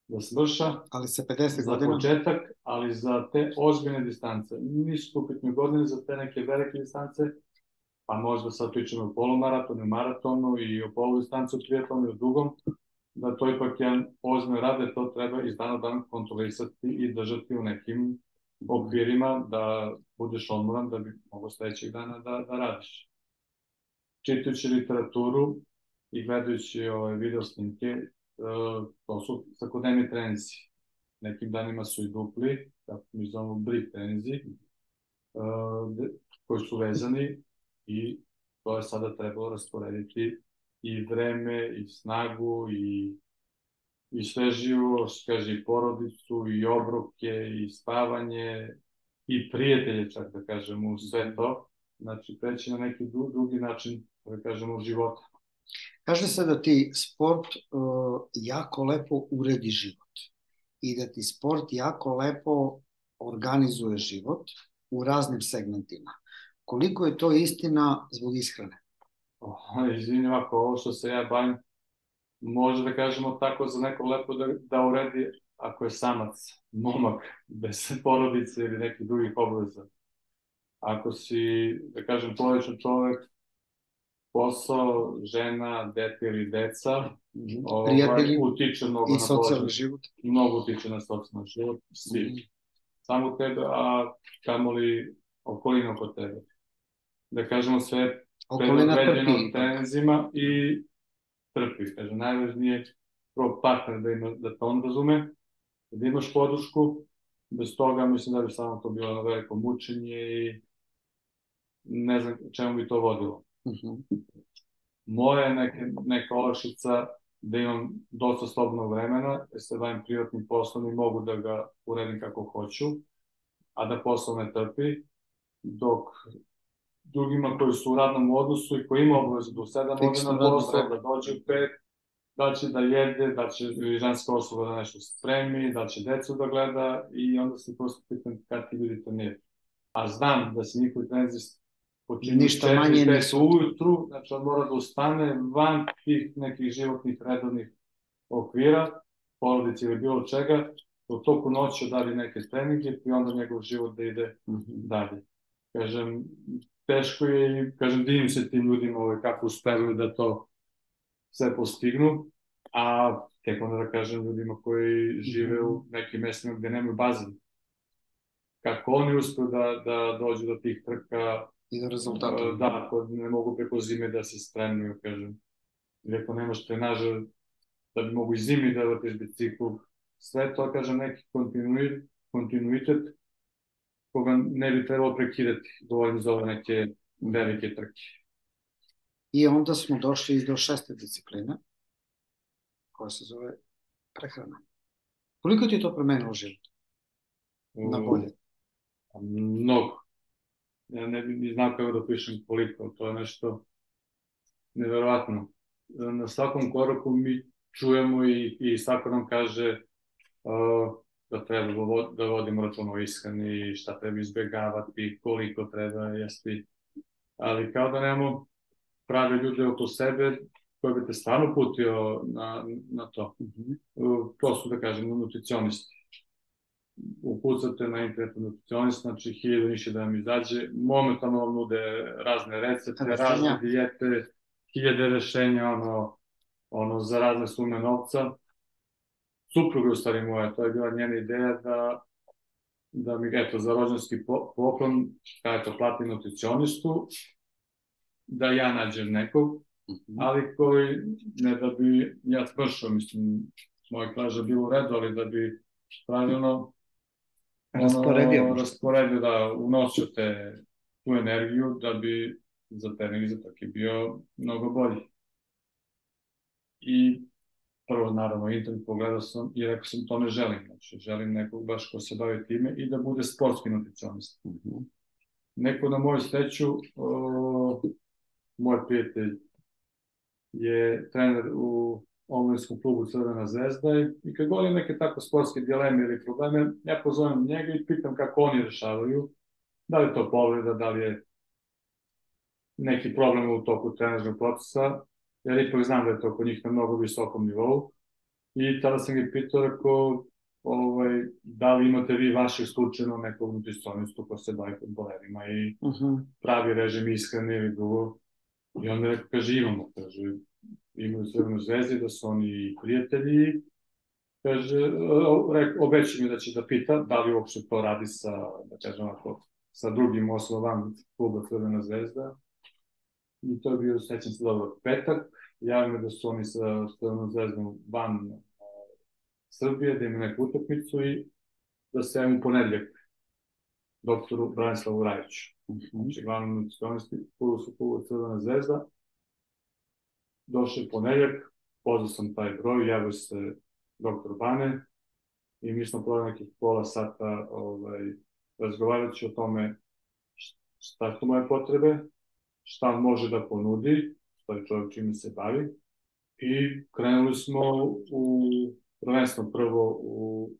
da svrša. Ali sa 50 godina? Za početak, ali za te ozbiljne distance. Nisu upitne godine za te neke velike distance, pa možda sad pričamo o polumaratonu, maratonu i o poludistancu, triatlonu i o dugom, da to ipak jedan ozbiljno rade, to treba iz dana u dan kontrolisati i držati u nekim okvirima da budeš odmoran da bi mogo sledećeg dana da radiš. Čitajući literaturu i gledajući video snimke, to su svakodnevni treninzi. Nekim danima su i dupli, kako mi zovemo brick treninzi, koji su vezani i to je sada trebalo rasporediti i vreme, i snagu, i sveživost, kaže, i porodicu, i obroke, i spavanje, i prijatelje, čak da kažemo, u sve to. Znači, preći na neki drugi način, da kažemo, života. Kaže se da ti sport jako lepo uredi život i da ti sport jako lepo organizuje život u raznim segmentima. Koliko je to istina zbog ishrane? Izvini, ovako, ovo što se ja bavim, može da kažemo tako za neko lepo da uredi ako je samac, momak, bez porodice ili nekih drugih obaveza. Ako si, da kažem, porodičan čovek, posao, žena, dete ili deca, prijatelji utiče mnogo i socijalni život. Mnogo utiče na socijalni život, svi. Samo tebe, a kamoli okolina oko tebe. Da kažemo sve predodređeno trenzima i trpi. Kažem, najvažnije prvo partner da to on razume, da imaš podršku, bez toga mislim da bi samo to bilo veliko mučenje i ne znam čemu bi to vodilo. Moja neka olakšica da imam dosta slobodnog vremena, jer se bavim privatnim poslom i mogu da ga uredim kako hoću, a da posao ne trpi, dok drugima koji su u radnom odnosu i koji ima obavezu do 7 godina na posao, da dođe u 5, da će da jede, da će ženska osoba da nešto spremi, da će decu da gleda i onda se prosto pitam kad ti ljudi to nije. A znam da se njihovi trenzi počinju 4-5 ujutru, znači on mora da ustane van tih nekih životnih redovnih okvira, porodice ili bilo čega, u toku noći odradi neke treninge i onda njegov život da ide dalje. Kažem, teško je i, kažem, divim se tim ljudima kako uspevaju da to sve postignu, a tek onda da kažem ljudima koji žive u nekim mestima gde nemaju bazen. Kako oni uspeju da dođu do tih trka i do rezultata. Da, ako ne mogu preko zime da se spremaju, kažem. Ili ako nemaš trenaža da bi mogu i zimi da vrtiš bicikl, sve to, kažem, neki kontinuitet koga ne bi trebalo prekidati, govorim za ove neke velike trke. I onda smo došli do 6. discipline, koja se zove prehrana. Koliko ti je to promenilo život? Na bolje? Mnogo. Ja ne bih ni znao kako da pišem koliko, to je nešto neverovatno. Na svakom koraku mi čujemo i svako nam kaže da treba da vodimo račun o ishrani, šta treba izbjegavati, koliko treba jesti, ali kao da nemamo prave ljude oko sebe koji bi te stvarno putio na to. To su, da kažem, nutricionisti. Ukucate na internetu nutricionist, znači 1000 više da vam izađe, momentalno vam nude razne recepte, razne dijete, 1000 rešenja, za razne sume novca. Supruga, u stvari moja, to je bila njena ideja da mi, eto, za rođenski poklon, kada to platim nutricionistu, da ja nađem nekog, ali koji, ne da bi ja smršao, mislim, moj klaža bilo u redu, ali da bi pravilno rasporedio, da unosio tu energiju, da bi za trening i za trke bio mnogo bolji. I prvo, naravno, internet pogledao sam i rekao sam to ne želim, znači želim nekog baš ko se bavi time i da bude sportski nutricionist. Neko na moju sreću, moj prijatelj je trener u omladinskom klubu Crvena zvezda i kad govorim neke tako sportske dileme ili probleme, ja pozovem njega i pitam kako oni rešavaju, da li je to povreda, da li je neki problem u toku trenažnog procesa, jer ipak znam da je to kod njih na mnogo visokom nivou. I tada sam ih pitao, rekao, da li imate vi vašeg slučajno nekog nutricionistu ko se bavi fudbalerima i pravi režim ishrane ili drugo. I onda rekao, kaže, imamo, kaže, imaju Crvenu zvezdu, da su oni prijatelji. Kaže, obeći mi da će da pita da li uopšte to radi sa drugim osobama kluba Crvena zvezda. I to je bio, sećam se dobro, petak. Javim da su oni sa Crvenom zvezdom van Srbije, da imaju neku utakmicu i da se javim u ponedljak doktoru Branislavu Rajiću. Znači, glavnom nutricionisti klubu Crvena zvezda. Došao je ponedljak, pozvao sam taj broj, javio se doktor Bane i mi smo provali nekih pola sata razgovarajući o tome šta su moje potrebe, šta može da ponudi, što je čovjek čime se bavi. I krenuli smo prvenstveno prvo u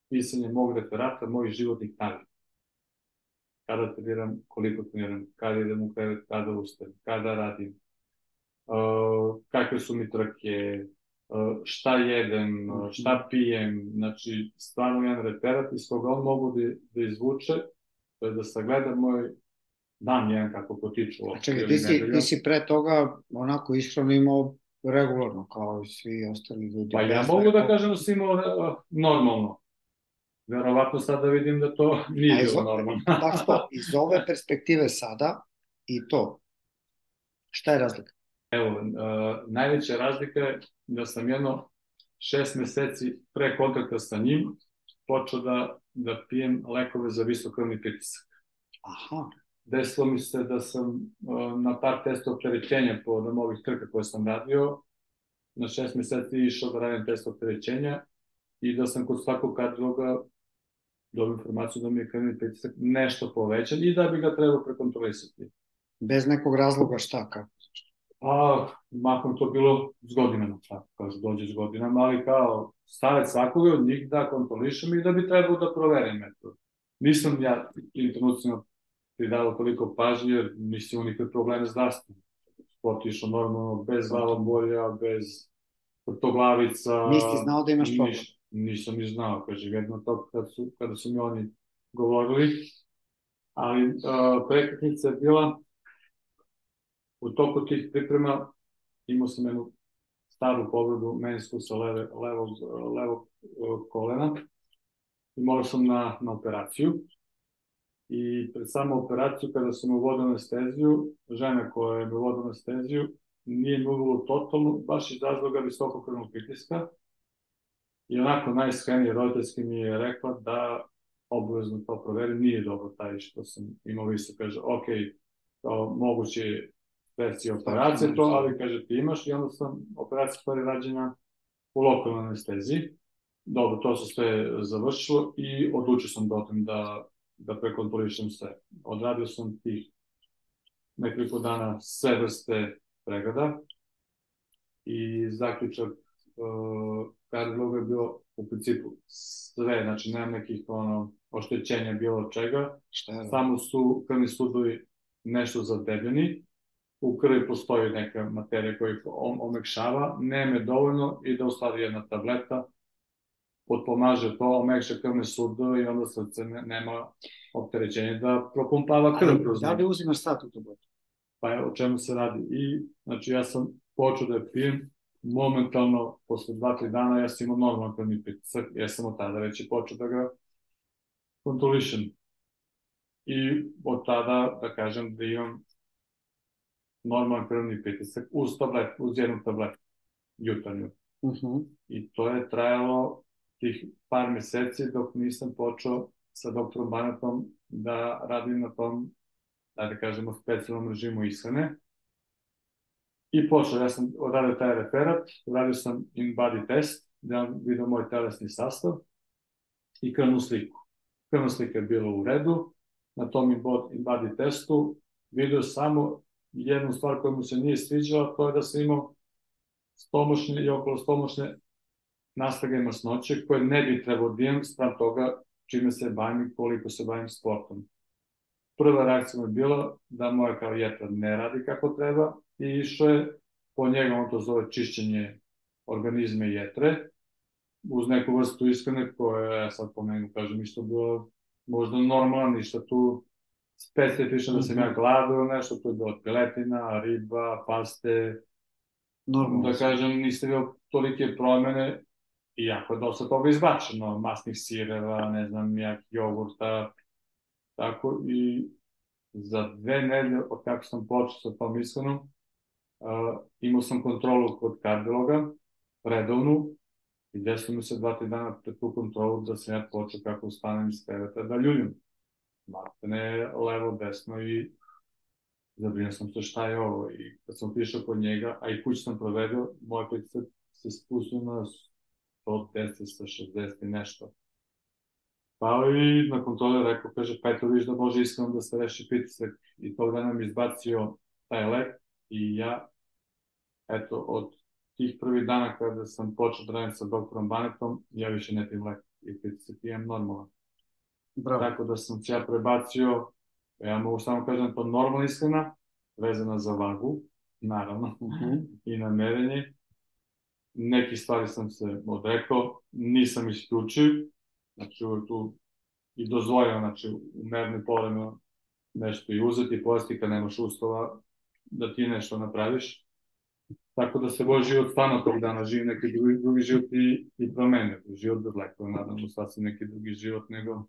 pisanje mog referata, mojih životnih navika. Kada treniram, koliko treniram, kada idem u krevet, kada ustajem, kada radim, kakve su mi trke, šta jedem, šta pijem, znači stvarno jedan referat iz koga on mogu da izvuče, to je da sagleda moj dan jedan kako potiču. Čekaj, ti si pre toga onako ishranu imao regularno, kao i svi ostali ljudi. Pa ja mogu da kažem da si imao normalno. Verovatno sad da vidim da to nije bilo normalno. Tako, iz ove perspektive sada i to, šta je razlika? Evo, najveća razlika je da sam 6 meseci pre kontakta sa njim počeo da pijem lekove za visok krvni pritisak. Aha. Desilo mi se da sam na par testa opterećenja povodom ovih trka koje sam radio, na 6 meseci išao da radim test opterećenja i da sam kod svakog kardiologa dobio informaciju da mi je krvni pritisak nešto povećan i da bi ga trebao prekontrolisati. Bez nekog razloga šta, kako? Mahom to bilo s godinama, tako kaže, dođe s godinama, ali kao savjet svakoga od njih da kontrolišem i da bi trebao da proverim metod. Nisam ja tim trenucima pridavao toliko pažnje, jer nisam imao nikakve probleme zdravstvene. Sport išao normalno, bez glavobolja, bez vrtoglavica. Nisi znao da imaš problem? Nisam ni znao, kaže, jedno to kada su mi oni govorili. Ali prekretnica je bila, u toku tih priprema imao sam jednu staru povredu meniskusa levog kolena i morao sam na operaciju. I pred samu operaciju, kada sam uvodio anesteziju, žena koja je mi uvodio anesteziju nije mi uvelo totalno, baš iz razloga visokog krvnog pritiska. I onako najiskrenije roditeljski mi je rekla da obavezno to proverim, nije dobro taj što sam imao visok, kaže, ok, moguće verzije operacije to, ali kaže ti imaš i onda sam operacija stvari rađena u lokalnoj anesteziji. Dobro, to se sve završilo i odlučio sam da prekontrolišem sve. Odradio sam tih nekoliko dana sve vrste pregleda i zaključak kardiologa je bio u principu sve, znači nema nekih oštećenja bilo čega, samo su krvni sudovi nešto zadebljeni, u krvi postoji neka materija koja ih omekšava, nema dovoljno i da u stvari jedna tableta potpomaže to, omekša krvne sudove i onda srce nema opterećenja da propumpava krv kroz njega. Da li uzimaš sad tu tabletu? Pa o čemu se radi? I, znači, ja sam počeo da je pijem, momentalno, posle 2-3 dana, ja sam imao normalan krvni pritisak, ja sam od tada već i počeo da ga kontrolišem. I od tada, da kažem, da imam normalan krvni pritisak uz jednu tabletu jutarnju. I to je trajalo tih par meseci dok nisam počeo sa doktorom Banetom da radim na tom, da kažemo, specijalnom režimu ishrane. I počeo, ja sam odradio taj referat, uradio sam in-body test, da vam vidio moj telesni sastav i krvnu sliku. Krvna slika je bila u redu, na tom in-body testu vidio samo jednu stvar koja mu se nije sviđala, to je da sam imao stomačne i okolostomačne nastrage masnoće koje ne bi trebao da imam spram toga čime se bavim i koliko se bavim sportom. Prva reakcija mi je bila da moja kao jetra ne radi kako treba i išao je po njega, on to zove čišćenje organizma i jetre, uz neku vrstu ishrane koja je sad po meni, kažem, isto bilo možda normalno, ništa tu specifično da sam ja gladao nešto, to je bilo piletina, riba, paste, da kažem, niste bio tolike promene, iako je dosta toga izbačeno, masnih sireva, ne znam, jak jogurta, tako, i za 2 nedelje od kako sam počeo sa tom ishranom, imao sam kontrolu kod kardiologa, redovnu, i desilo mi se 2-3 dana pred tu kontrolu da sam ja počeo kako ustanem iz kreveta da ljuljim. Maltene levo, desno i zabrinio sam se šta je ovo. I kad sam otišao kod njega, a i kući sam provedio, moj pritisak se spustio na 110 sa 60 i nešto. Pa i na kontroli rekao, kaže, pa eto viš da može iskreno da se reši pritisak. I tog dana mi izbacio taj lek i ja, eto, od tih prvih dana kada sam počeo da radim sa doktorom Banetom, ja više ne pijem lek i pritisak imam normalno. Tako da sam se ja prebacio, ja mogu samo kažem to normalna ishrana, vezana za vagu, naravno, i na merenje. Neki stvari sam se odrekao, nisam isključio, znači tu i dozvoljeno, znači u merni povremeno nešto i uzeti i pojesti kad nemaš uslova da ti nešto napraviš. Tako da se moj život stvarno tog dana živi neki drugi život i promenio. Život bez lekova, naravno, sasvim neki drugi život nego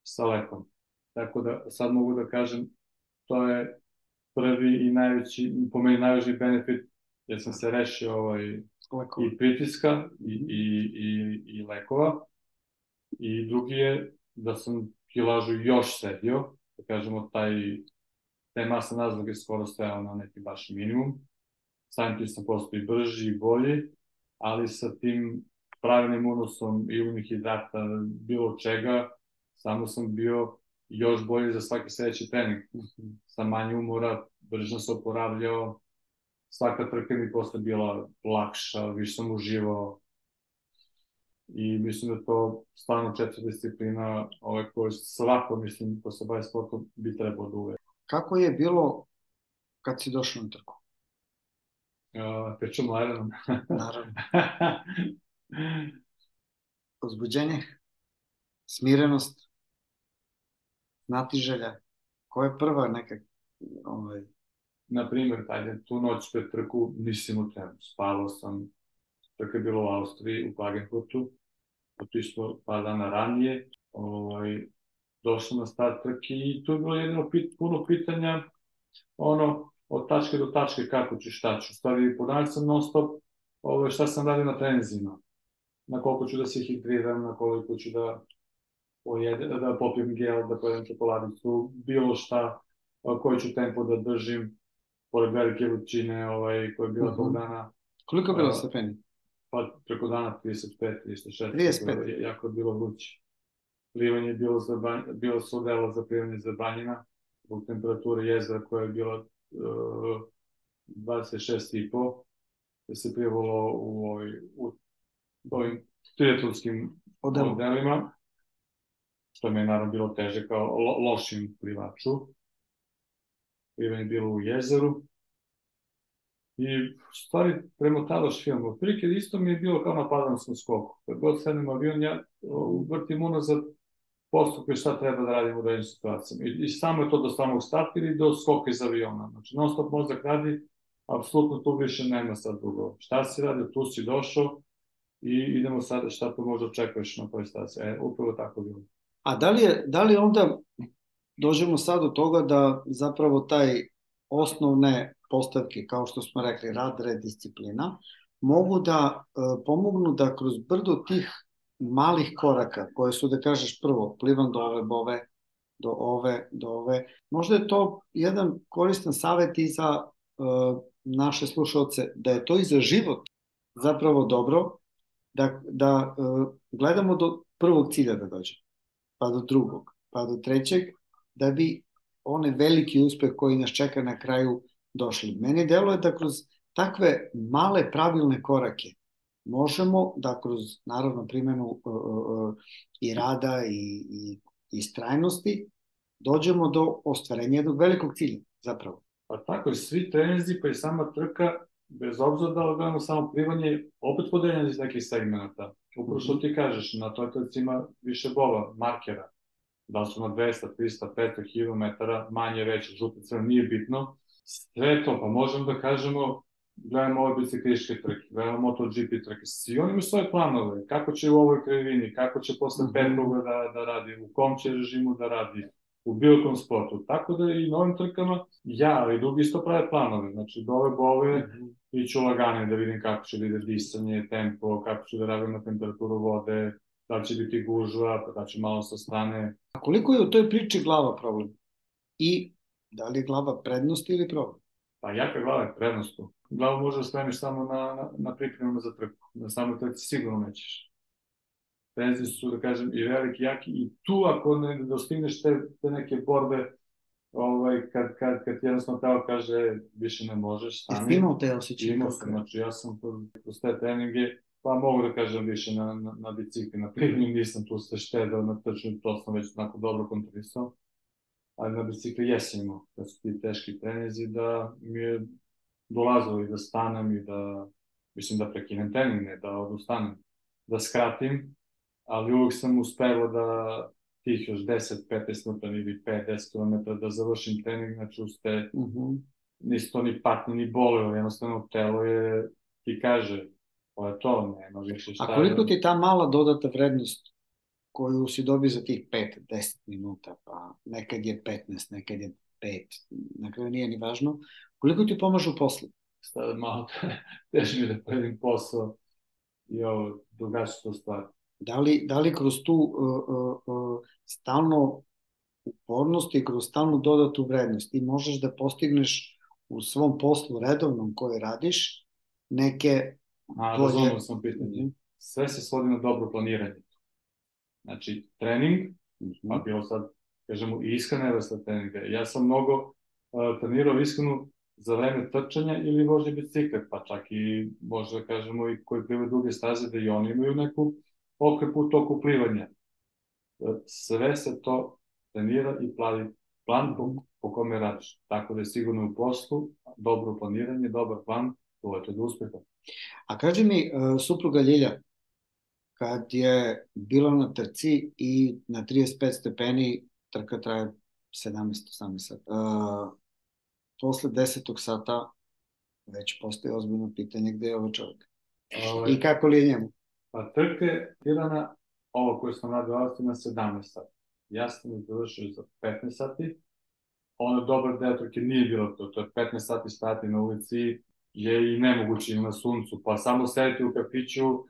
sa lekom. Tako da sad mogu da kažem, to je prvi i najveći, po meni najvažniji benefit, jer sam se rešio i pritiska i lekova. I drugi je da sam kilažu još sedio, da kažemo, te masne nazloge skoro stajao na neki baš minimum. samim tim sam postao i brži i bolji, ali sa tim pravilnim unosom i unih hidrata, bilo čega, samo sam bio još bolji za svaki sledeći trening. Sa manje umora, brže sam se oporavljao, svaka trka mi posle bila lakša, više sam uživao. I mislim da to stvarno 4 disciplina koju svako, mislim, ko se bavi sportom, bi trebalo da uve. Kako je bilo kad si došao na trku? Pričamo Ironom. Naravno. Uzbuđenje, smirenost, znatiželja. Koja je prva neka... Naprimer, tu noć pred trku nisam u trenu. Spavao sam, trka je bilo u Austriji, u Klagenfurtu. Otišlo par dana ranije. Došao na start trke i tu je bilo jedino puno pitanja od tačke do tačke kako ću, šta ću. Stvari, ponavljam sam non stop šta sam radio na trenizima. Na koliko ću da se hidriram, na koliko ću da popijem gel, da pojedem čokoladicu, bilo šta, koji ću tempo da držim, pored velike vrućine koja je bila tog dana. Koliko je bilo stepeni? Pa preko dana 35, 36, 35. Jako je bilo vruće. Plivanje je bilo se odelo za plivanje zabranjena, zbog temperature jezera koja je bila 26,5, da se plivalo u ovim triatlonskim modelima, što mi je naravno bilo teže kao lošim plivaču. Plivanje je bilo u jezeru. I stvari premotavaš film. Otprilike isto mi je bilo kao na padalskom skoku. Kad god sednem avion, ja vrtim unazad postupke šta treba da radim u daljim situacijama. I samo je to do samog starta ili do skoka iz aviona. Znači, non stop mozak radi, apsolutno tu više nema sad drugo. Šta si radio, tu si došao i idemo sada šta to možda očekuješ na toj staciji. Upravo tako bilo. A da li onda dođemo sad do toga da zapravo taj osnovne postavke, kao što smo rekli, rad, red, disciplina, mogu da pomognu da kroz brdo tih malih koraka, koje su, da kažeš, prvo, plivam do ove bove, do ove, možda je to jedan koristan savjet i za naše slušalce, da je to i za život zapravo dobro, da gledamo do prvog cilja da dođe, pa do drugog, pa do trećeg, da bi onaj veliki uspeh koji nas čeka na kraju došli. Meni deluje da kroz takve male pravilne korake možemo da kroz, naravno, primjenu i rada i istrajnosti dođemo do ostvarenja jednog velikog cilja, zapravo. Pa tako, svi treninzi pa i sama trka, bez obzira da gledamo samo plivanje, opet podeljeno iz nekih segmenta. Upravo što ti kažeš, na toj trci ima više bova, markera. Da su na 200, 300, 500 km, manje, veće, žute, crno, nije bitno. Sve to, pa možemo da kažemo, gledamo ove biciklističke trke, gledamo MotoGP trke, svi oni imaju svoje planove, kako će u ovoj krivini, kako će posle Petruga da radi, u kom će režimu da radi, u bilo kom sportu. Tako da i na ovim trkama ja i drugi isto prave planove, znači do ove bove iću lagane da vidim kako će da ide disanje, tempo, kako će da radim na temperaturu vode, da li će biti gužva, pa da će malo sa strane. A koliko je u toj priči glava problem? I da li je glava prednost ili problem? Pa jaka glava je prednost. Glavu možeš da spremiš samo na pripremama za trku. Na samoj trci sigurno nećeš. Trenzi su, da kažem, i veliki, jaki. I tu ako ne dostigneš te neke borbe, kad ti jednostavno telo kaže više ne možeš, stani. Jesi imao te osjećaje? Imao sam, znači ja sam kroz te treninge, pa mogu da kažem više na bicikli, na plivnju, nisam tu se štedao na trčanju, to sam već onako dobro kontrolisao. Ali na bicikli jesam imao, kad su ti teški treninzi, da mi je dolazilo i da stanem i da, mislim da prekinem trening, ne da odustanem, da skratim, ali uvijek sam uspeo da tih još 10-15 minuta ili 5-10 km da završim trening, znači uste, nisu to ni patnje ni bolilo, jednostavno telo je, ti kaže, to je to, nema više šta. A koliko ti ta mala dodata vrednost koju si dobio za tih 5-10 minuta, pa nekad je 15, nekad je 5, na kraju nije ni važno, koliko ti pomažu posle? Sada malo teže mi da pojedim posao i ovo, drugačije to stvari. Da li kroz tu stalno upornost i kroz stalnu dodatu vrednost ti možeš da postigneš u svom poslu redovnom koji radiš neke Razumno sam pitanje. Sve se svodi na dobro planiranje. Znači, trening, pa bilo sad, kažemo, i ishrana vrsta treninga. Ja sam mnogo trenirao ishranu za vreme trčanja ili vožnje bicikla, pa čak i, može da kažemo, i koji plive duge staze, da i oni imaju neku okrepu u toku plivanja. Sve se to trenira i plavi plan po kome radiš. Tako da je sigurno u poslu, dobro planiranje, dobar plan, to je do uspeha. A kaži mi, supruga Ljilja, kad je bila na trci i na 35 stepeni, trka traje 17-18 sata. Posle 10. sata već postoji ozbiljno pitanje gde je ovaj čovjek. I kako li je njemu? Pa trka je tirana, ovo koje sam radio na 17 sati. Ja sam je završio za 15 sati. Ono dobar deo trke nije bilo to. To je 15 sati stati na ulici, je i nemoguće na suncu. Pa samo sediti u kafiću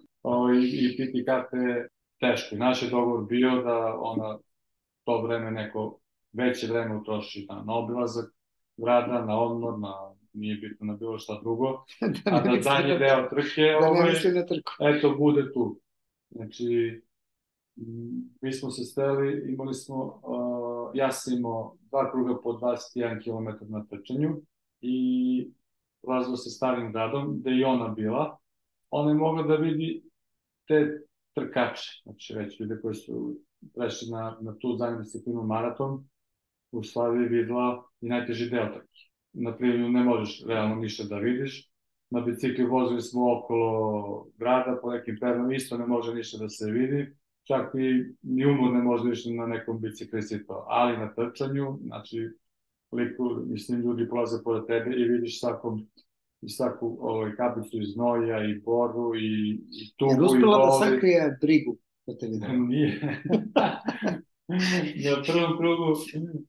i piti karte teško. I naš je dogovor bio da to vreme neko veće vreme utroši na obilazak grada, na odmor, nije bitno na bilo šta drugo, a da zadnji deo trke eto bude tu. Znači, mi smo se steli, imali smo, ja sam imao 2 kruga po 21 km na trčanju i prolazilo se Starim gradom, gde i ona bila. Ona je mogla da vidi te trkače, znači već ljude koji su prešli na tu zadnju disciplinu maraton, u stvari videla i najteži deo trke. Na plivanju ne možeš realno ništa da vidiš. Na bicikli vozili smo okolo grada, po nekim pernom isto ne može ništa da se vidi. Čak i ni umor ne može ništa na nekom biciklisti to. Ali na trčanju, znači, mislim, ljudi prolaze pored tebe i vidiš svaku kapicu iz znoja i boru i tubu i boli. Je uspela da sakrije brigu da te vidio? Nije. Na prvom krugu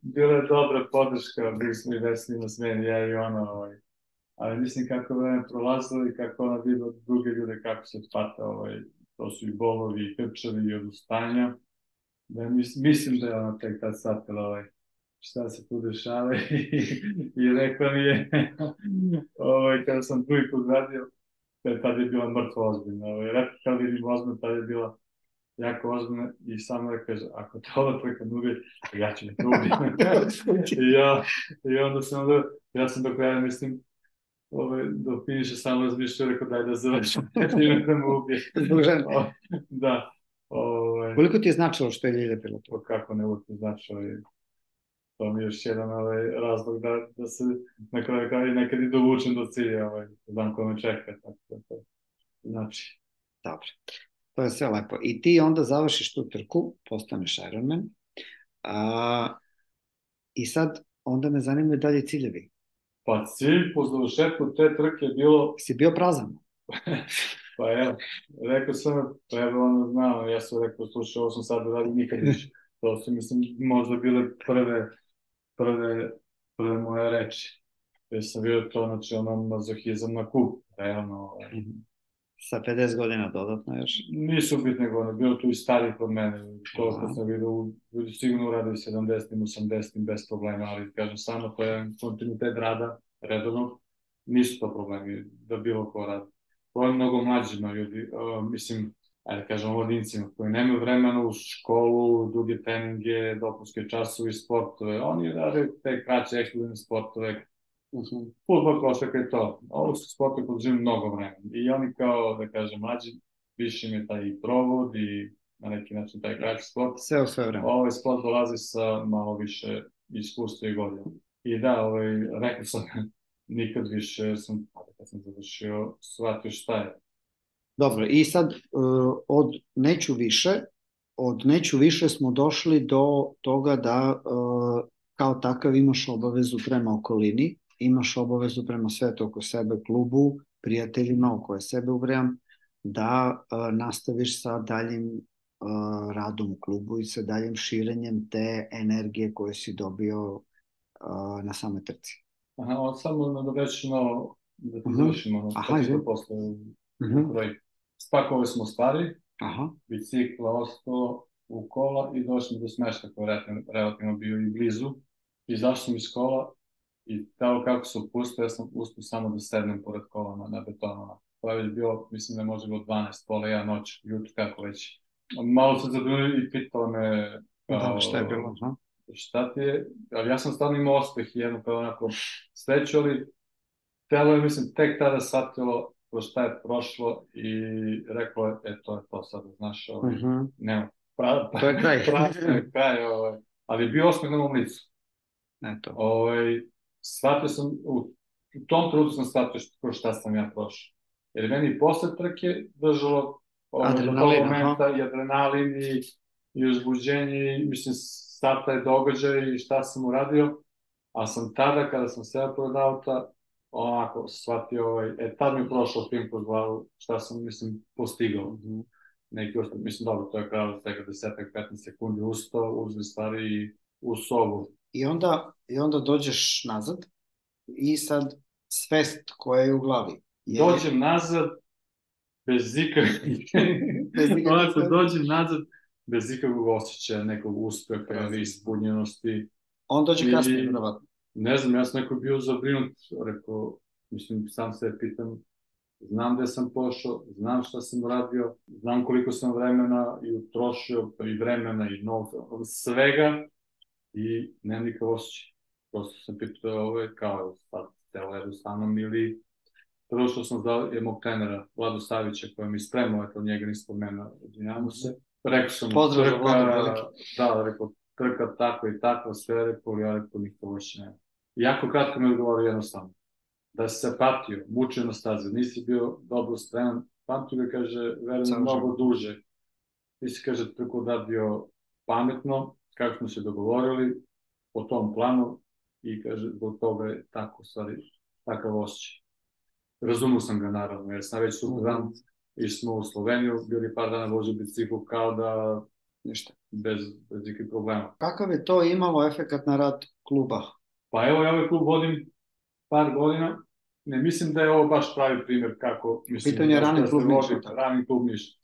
bila je dobra podrška, bili smo i Vesni na smeni, ja i ona, ali mislim kako vreme prolazilo i kako ona videla druge ljude kako se pata, to su i bolovi, i krčevi, i odustanja, da mislim da je ona tek tad shvatila šta se tu dešava i rekla mi je, kada sam prvi put radio, tada je bila mrtva ozbiljna, kada vidim ozbiljna, tada je bila jako ozbiljno i samo da kaže, ako te ova trka ne ubije, ja ću me to ubiti. I onda ja sam do kraja, mislim, do finiša samo razmišljao, rekao daj da završim, time da me ubije. Zbog žene? Da. Koliko ti je značilo što je Ljilja bila to? Kako ne uvijek značilo, to mi je još jedan razlog da se na kraju kao i nekad i dovučem do cilja, znam ko me čeka, tako da to znači. Dobro. To je sve lepo. I ti onda završiš tu trku, postaneš Ironman. I sad, onda me zanimaju dalje ciljevi. Pa cilj po završetku te trke je bilo... Si bio prazan? Pa evo, rekao sam, pa evo ono znao, ja sam rekao, slušaj, ovo sam sad uradio nikad više. To su, mislim, možda bile prve moje reči. Jer sam vidio to, znači, mazohizam na kup, realno. Sa 50 godina dodatno još? Nisu bitne godine, bilo tu i starih od mene. To što sam vidio, ljudi sigurno uradili 70-im, 80-im bez problema, ali kažem samo, to je kontinuitet rada, redovnog, nisu to problemi da bilo ko radi. To je mnogo mlađima ljudi, mislim, ajde kažem, mladincima koji nemaju vremena u školu, druge treninge, dopunske časove i sportove. Oni rade te kraće ekskluzivne sportove, fudbal, košarka je to. Ovo su sportove koji živim mnogo vremena. I oni kao, da kažem, mlađi, više im je taj provod i na neki način taj kraći sport. Sve u sve vreme. Ovaj sport dolazi sa malo više iskustva i godina. I da, rekao sam, nikad više, jer sam, kad sam završio, shvatio šta je. Dobro, i sad od neću više smo došli do toga da kao takav imaš obavezu prema okolini, imaš obavezu prema svetu oko sebe, klubu, prijateljima o koje sebe ubrajam, da nastaviš sa daljim radom u klubu i sa daljim širenjem te energije koje si dobio na same trci. Aha, samo nadovećemo da ti završimo, što posle u kroji. Spakovali smo stvari, bicikla ostao u kola i došli do smešta koji je relativno bio i blizu. Izašli smo iz kola I tako kako se upustio, ja sam uspio samo da sednem pored kolama na betonu. To je već bilo, mislim da je možda bilo 12, pola 1 noć, jutro kako već. Malo se zabrinio i pitao me Da, šta je bilo? šta ti je, ali ja sam stvarno imao ospeh i jednu kao onako sreću, ali telo je, mislim, tek tada shvatilo kroz šta je prošlo i reklo je, to je to sad, znaš, nema, to je kraj. kraj, ali je bio osmeh na mom licu. Eto. Shvatio sam, u tom trudu sam shvatio kroz šta sam ja prošao. Jer meni posle trke držalo do tog momenta i adrenalin i uzbuđenje i mislim sad taj događaj i šta sam uradio, a sam tada kada sam seo pored auta onako shvatio, tad mi je prošao film kroz glavu šta sam, mislim, postigao. Neki ostao, mislim, dobro, to je kralo svega 10-15 sekundi ustao, uzeli stvari i u sobu. I onda dođeš nazad i sad svest koja je u glavi. Dođem nazad bez ikakvog osjećaja, nekog uspeha ili ispunjenosti. On dođe kasnije, vjerovatno. Ne znam, ja sam neko bio zabrinut, rekao, mislim, sam se pitam, znam gde sam pošao, znam šta sam uradio, znam koliko sam vremena i utrošio, i vremena i novca, svega, i nemam nikakav osjećaj. Prosto sam pitao kao sad telo jedu sa mnom ili prvo što sam znao je mog trenera Vladu Savića koja mi spremao, eto njega nisam spomenuo, odvinjamo se. Rekao sam pozdrav za Vladu veliki. Da, rekao trka tako i tako, sve rekao, ja rekao nikako više nema. Jako kratko mi odgovorio jednostavno. Da si se patio, mučio na stazi, nisi bio dobro spreman, pamtio ga, kaže, verujem mnogo duže. Ti si, kaže, trku odradio pametno, kako smo se dogovorili, po tom planu i, kaže, zbog toga je tako, stvari, takav osjećaj. Razumio sam ga, naravno, jer sam već sutradan išli smo u Sloveniju, bili par dana vozio bicikl kao da ništa, bez ikakvih problema. Kakav je to imalo efekat na rad kluba? Pa evo, ja ovaj klub vodim par godina. Ne mislim da je ovo baš pravi primer kako... Pitanje je Rani klub Niš.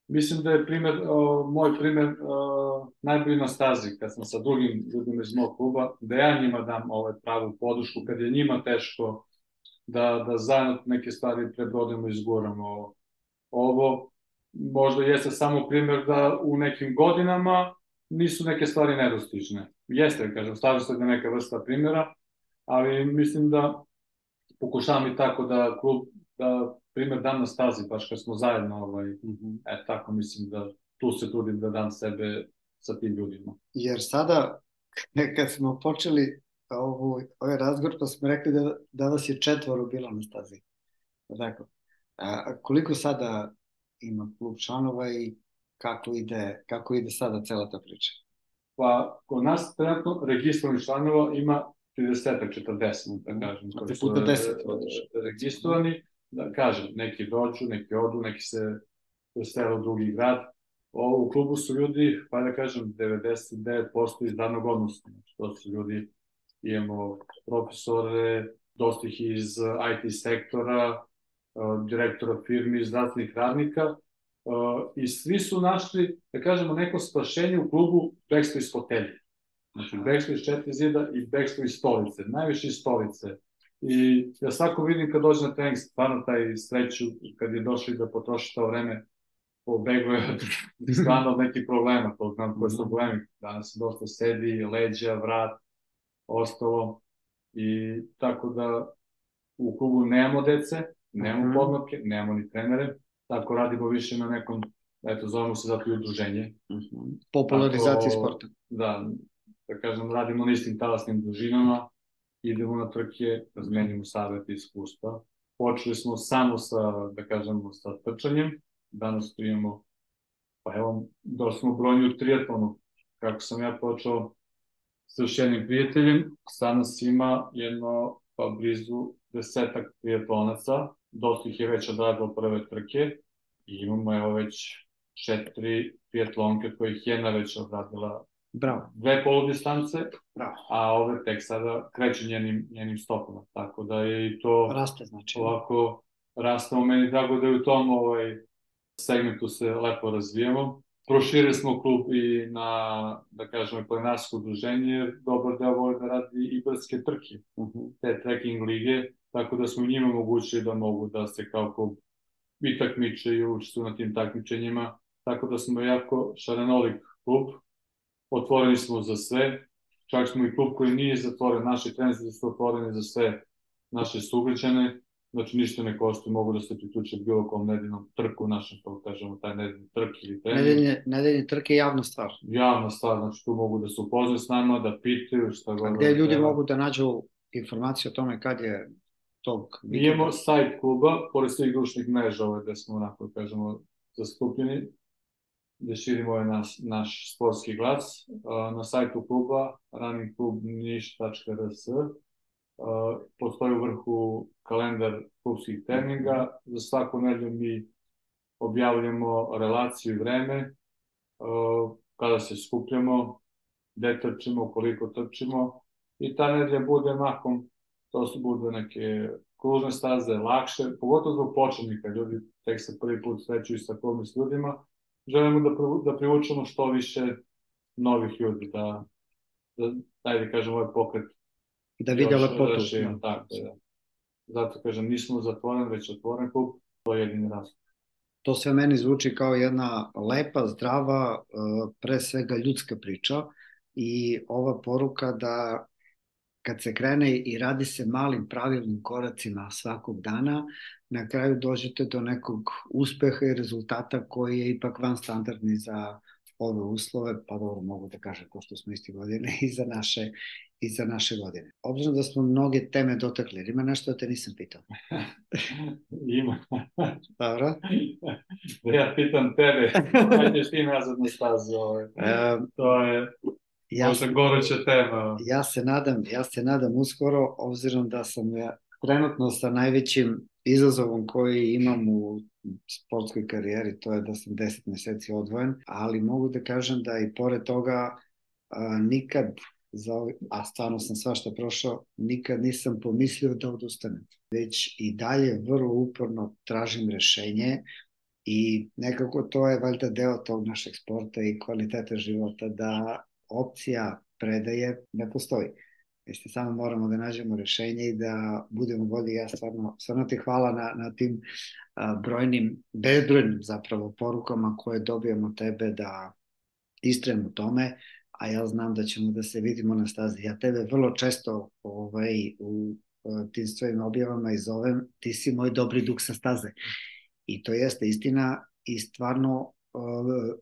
Mislim da je moj primer najbolji na stazi, kad sam sa drugim ljudima iz mog kluba, da ja njima dam pravu podršku, kad je njima teško da zajedno neke stvari prebrodimo i izguramo. Ovo možda jeste samo primer da u nekim godinama nisu neke stvari nedostižne. Jeste, kažem, slažem se da neka vrsta primjera, ali mislim da pokušavam i tako da klub, da primer dam na stazi, baš kad smo zajedno, tako mislim da tu se trudim da dam sebe sa tim ljudima. Jer sada, kad smo počeli ovaj razgovor, pa smo rekli da vas je 4 bilo na stazi. Tako. Koliko sada ima klub članova i kako ide sada cela ta priča? Pa, kod nas trenutno registrovanih članova ima 30-40, da kažem. A ti puta 10 vodiš. Registrovani, da kažem, neki dođu, neki odu, neki se presele u drugi grad. U klubu su ljudi, pa da kažem, 99% iz radnog odnosa. To su ljudi, imamo profesore, dosta ih iz IT sektora, direktora firmi, zdravstvenih radnika, i svi su našli, da kažemo, neko spašenje u klubu bekstvo iz fotelje. Znači, bekstvo iz 4 zida i bekstvo iz stolice, najviše iz stolice. I ja svako vidim kad dođe na trening, stvarno taj sreću, kad je došli da potroši to vreme, pobeglo je stvarno od nekih problema, to znam koje su problemi. Danas se dosta sedi, leđa, vrat, ostalo. I tako da u klubu nemamo dece, nemamo podmlatke, nemamo ni trenere, tako radimo više na nekom, eto, zovemo se zato i udruženje. Popularizaciji sporta. Da kažem, radimo na istim talasnim dužinama, idemo na trke, razmenimo savjeti i iskustva. Počeli smo samo sa, da kažemo, sa trčanjem, danas tu imamo, pa evo, došli smo brojni u triatlonu, kako sam ja počeo sa još jednim prijateljem, sad nas ima jedno, pa blizu 10 triatlonaca, dosta ih je već odradilo prve trke i imamo evo već 4 triatlonke kojih jedna već odradila 2 poludistance, a ove tek sada kreću njenim stopama, tako da je i to raste, znači ovako rastamo, meni drago da je u tom segmentu se lepo razvijamo. Proširili smo klub i na, da kažemo, planinarsko udruženje, jer dobar deo voli da radi i brdske trke, te trekking lige, tako da smo njima omogućili da mogu da se kao klub i takmiče i učestvuju na tim takmičenjima, tako da smo jako šarenolik klub, otvoreni smo za sve, čak smo i klub koji nije zatvoren, naši treneri su otvoreni za sve naše sugrađane, znači ništa ne košta, mogu da se priključe bilo kom nedeljnom trku, našem, to kažemo, taj nedeljni trk ili trening. Nedeljni trk je javna stvar. Javna stvar, znači tu mogu da se upoznaju s nama, da pitaju šta god. A gde ljudi mogu da nađu informacije o tome kad je tog vikenda? Mi imamo sajt kluba, pored svih društvenih mreža gde smo, onako kažemo, zastupljeni, gde širimo naš sportski glas. Na sajtu kluba, runningklubniš.rs, postoji u vrhu kalendar klubskih treninga. Za svaku nedelju mi objavljamo relaciju i vreme, kada se skupljamo, gde trčimo, koliko trčimo. I ta nedelja bude mahom, to su bude neke kružne staze, lakše, pogotovo zbog početnika, ljudi tek se prvi put srećuju sa klubom i s ljudima. Želimo da privučemo što više novih ljudi, da dajde kažem ovaj pokret da vide lepotu. Zato kažem, nismo zatvoren, već otvoren klub, to je jedini razlog. To sve meni zvuči kao jedna lepa, zdrava, pre svega ljudska priča i ova poruka da kad se krene i radi se malim pravilnim koracima svakog dana, na kraju dođete do nekog uspeha i rezultata koji je ipak van standardni za ove uslove, pa dobro mogu da kažem ko što smo isti godine i za naše godine. Obzirom da smo mnoge teme dotakli, ima nešto da te nisam pitao? Ima. Dobro. Da ja pitam tebe, ajde ti nazad na stazu. To je možda goruća tema. Ja se nadam uskoro, obzirom da sam trenutno sa najvećim izazovom koji imam u sportskoj karijeri, to je da sam 10 meseci odvojen, ali mogu da kažem da i pored toga nikad, a stvarno sam svašta prošao, nikad nisam pomislio da odustanem. Već i dalje vrlo uporno tražim rešenje i nekako to je valjda deo tog našeg sporta i kvaliteta života, da opcija predaje ne postoji. Mislim, samo moramo da nađemo rešenje i da budemo bolji. Ja stvarno ti hvala na tim bezbrojnim zapravo porukama koje dobijamo tebe da istrajemo u tome, a ja znam da ćemo da se vidimo na stazi. Ja tebe vrlo često u tim svojim objavama i zovem, ti si moj dobri duh sa staze. I to jeste istina i stvarno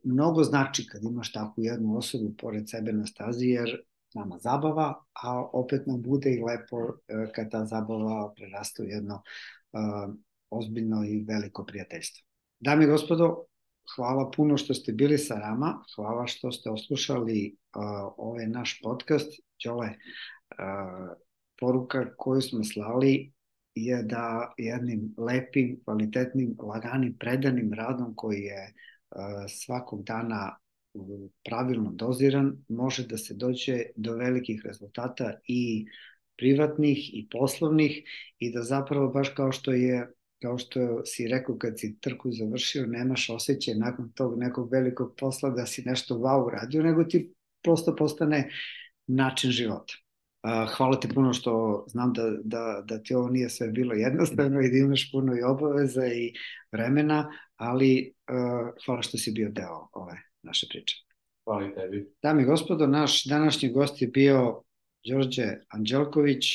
mnogo znači kad imaš takvu jednu osobu pored sebe na stazi, jer nama zabava, a opet nam bude i lepo kad ta zabava prerasta u jedno ozbiljno i veliko prijateljstvo. Dame i gospodo, hvala puno što ste bili sa nama, hvala što ste oslušali ovaj naš podcast. Đole, poruka koju smo slali je da jednim lepim, kvalitetnim, laganim, predanim radom koji je svakog dana pravilno doziran, može da se dođe do velikih rezultata i privatnih i poslovnih i da zapravo baš kao što si rekao kad si trku završio, nemaš osjećaj nakon tog nekog velikog posla da si nešto wow uradio, nego ti prosto postane način života. Hvala ti puno što znam da ti ovo nije sve bilo jednostavno i da imaš puno i obaveza i vremena, ali hvala što si bio deo ove naše priče. Hvala i tebi. Dame i gospodo, naš današnji gost je bio Đorđe Anđelković,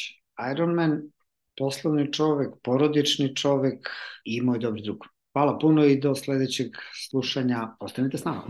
Ironman, poslovni čovek, porodični čovek i moj dobri drug. Hvala puno i do sledećeg slušanja. Ostanite s nama.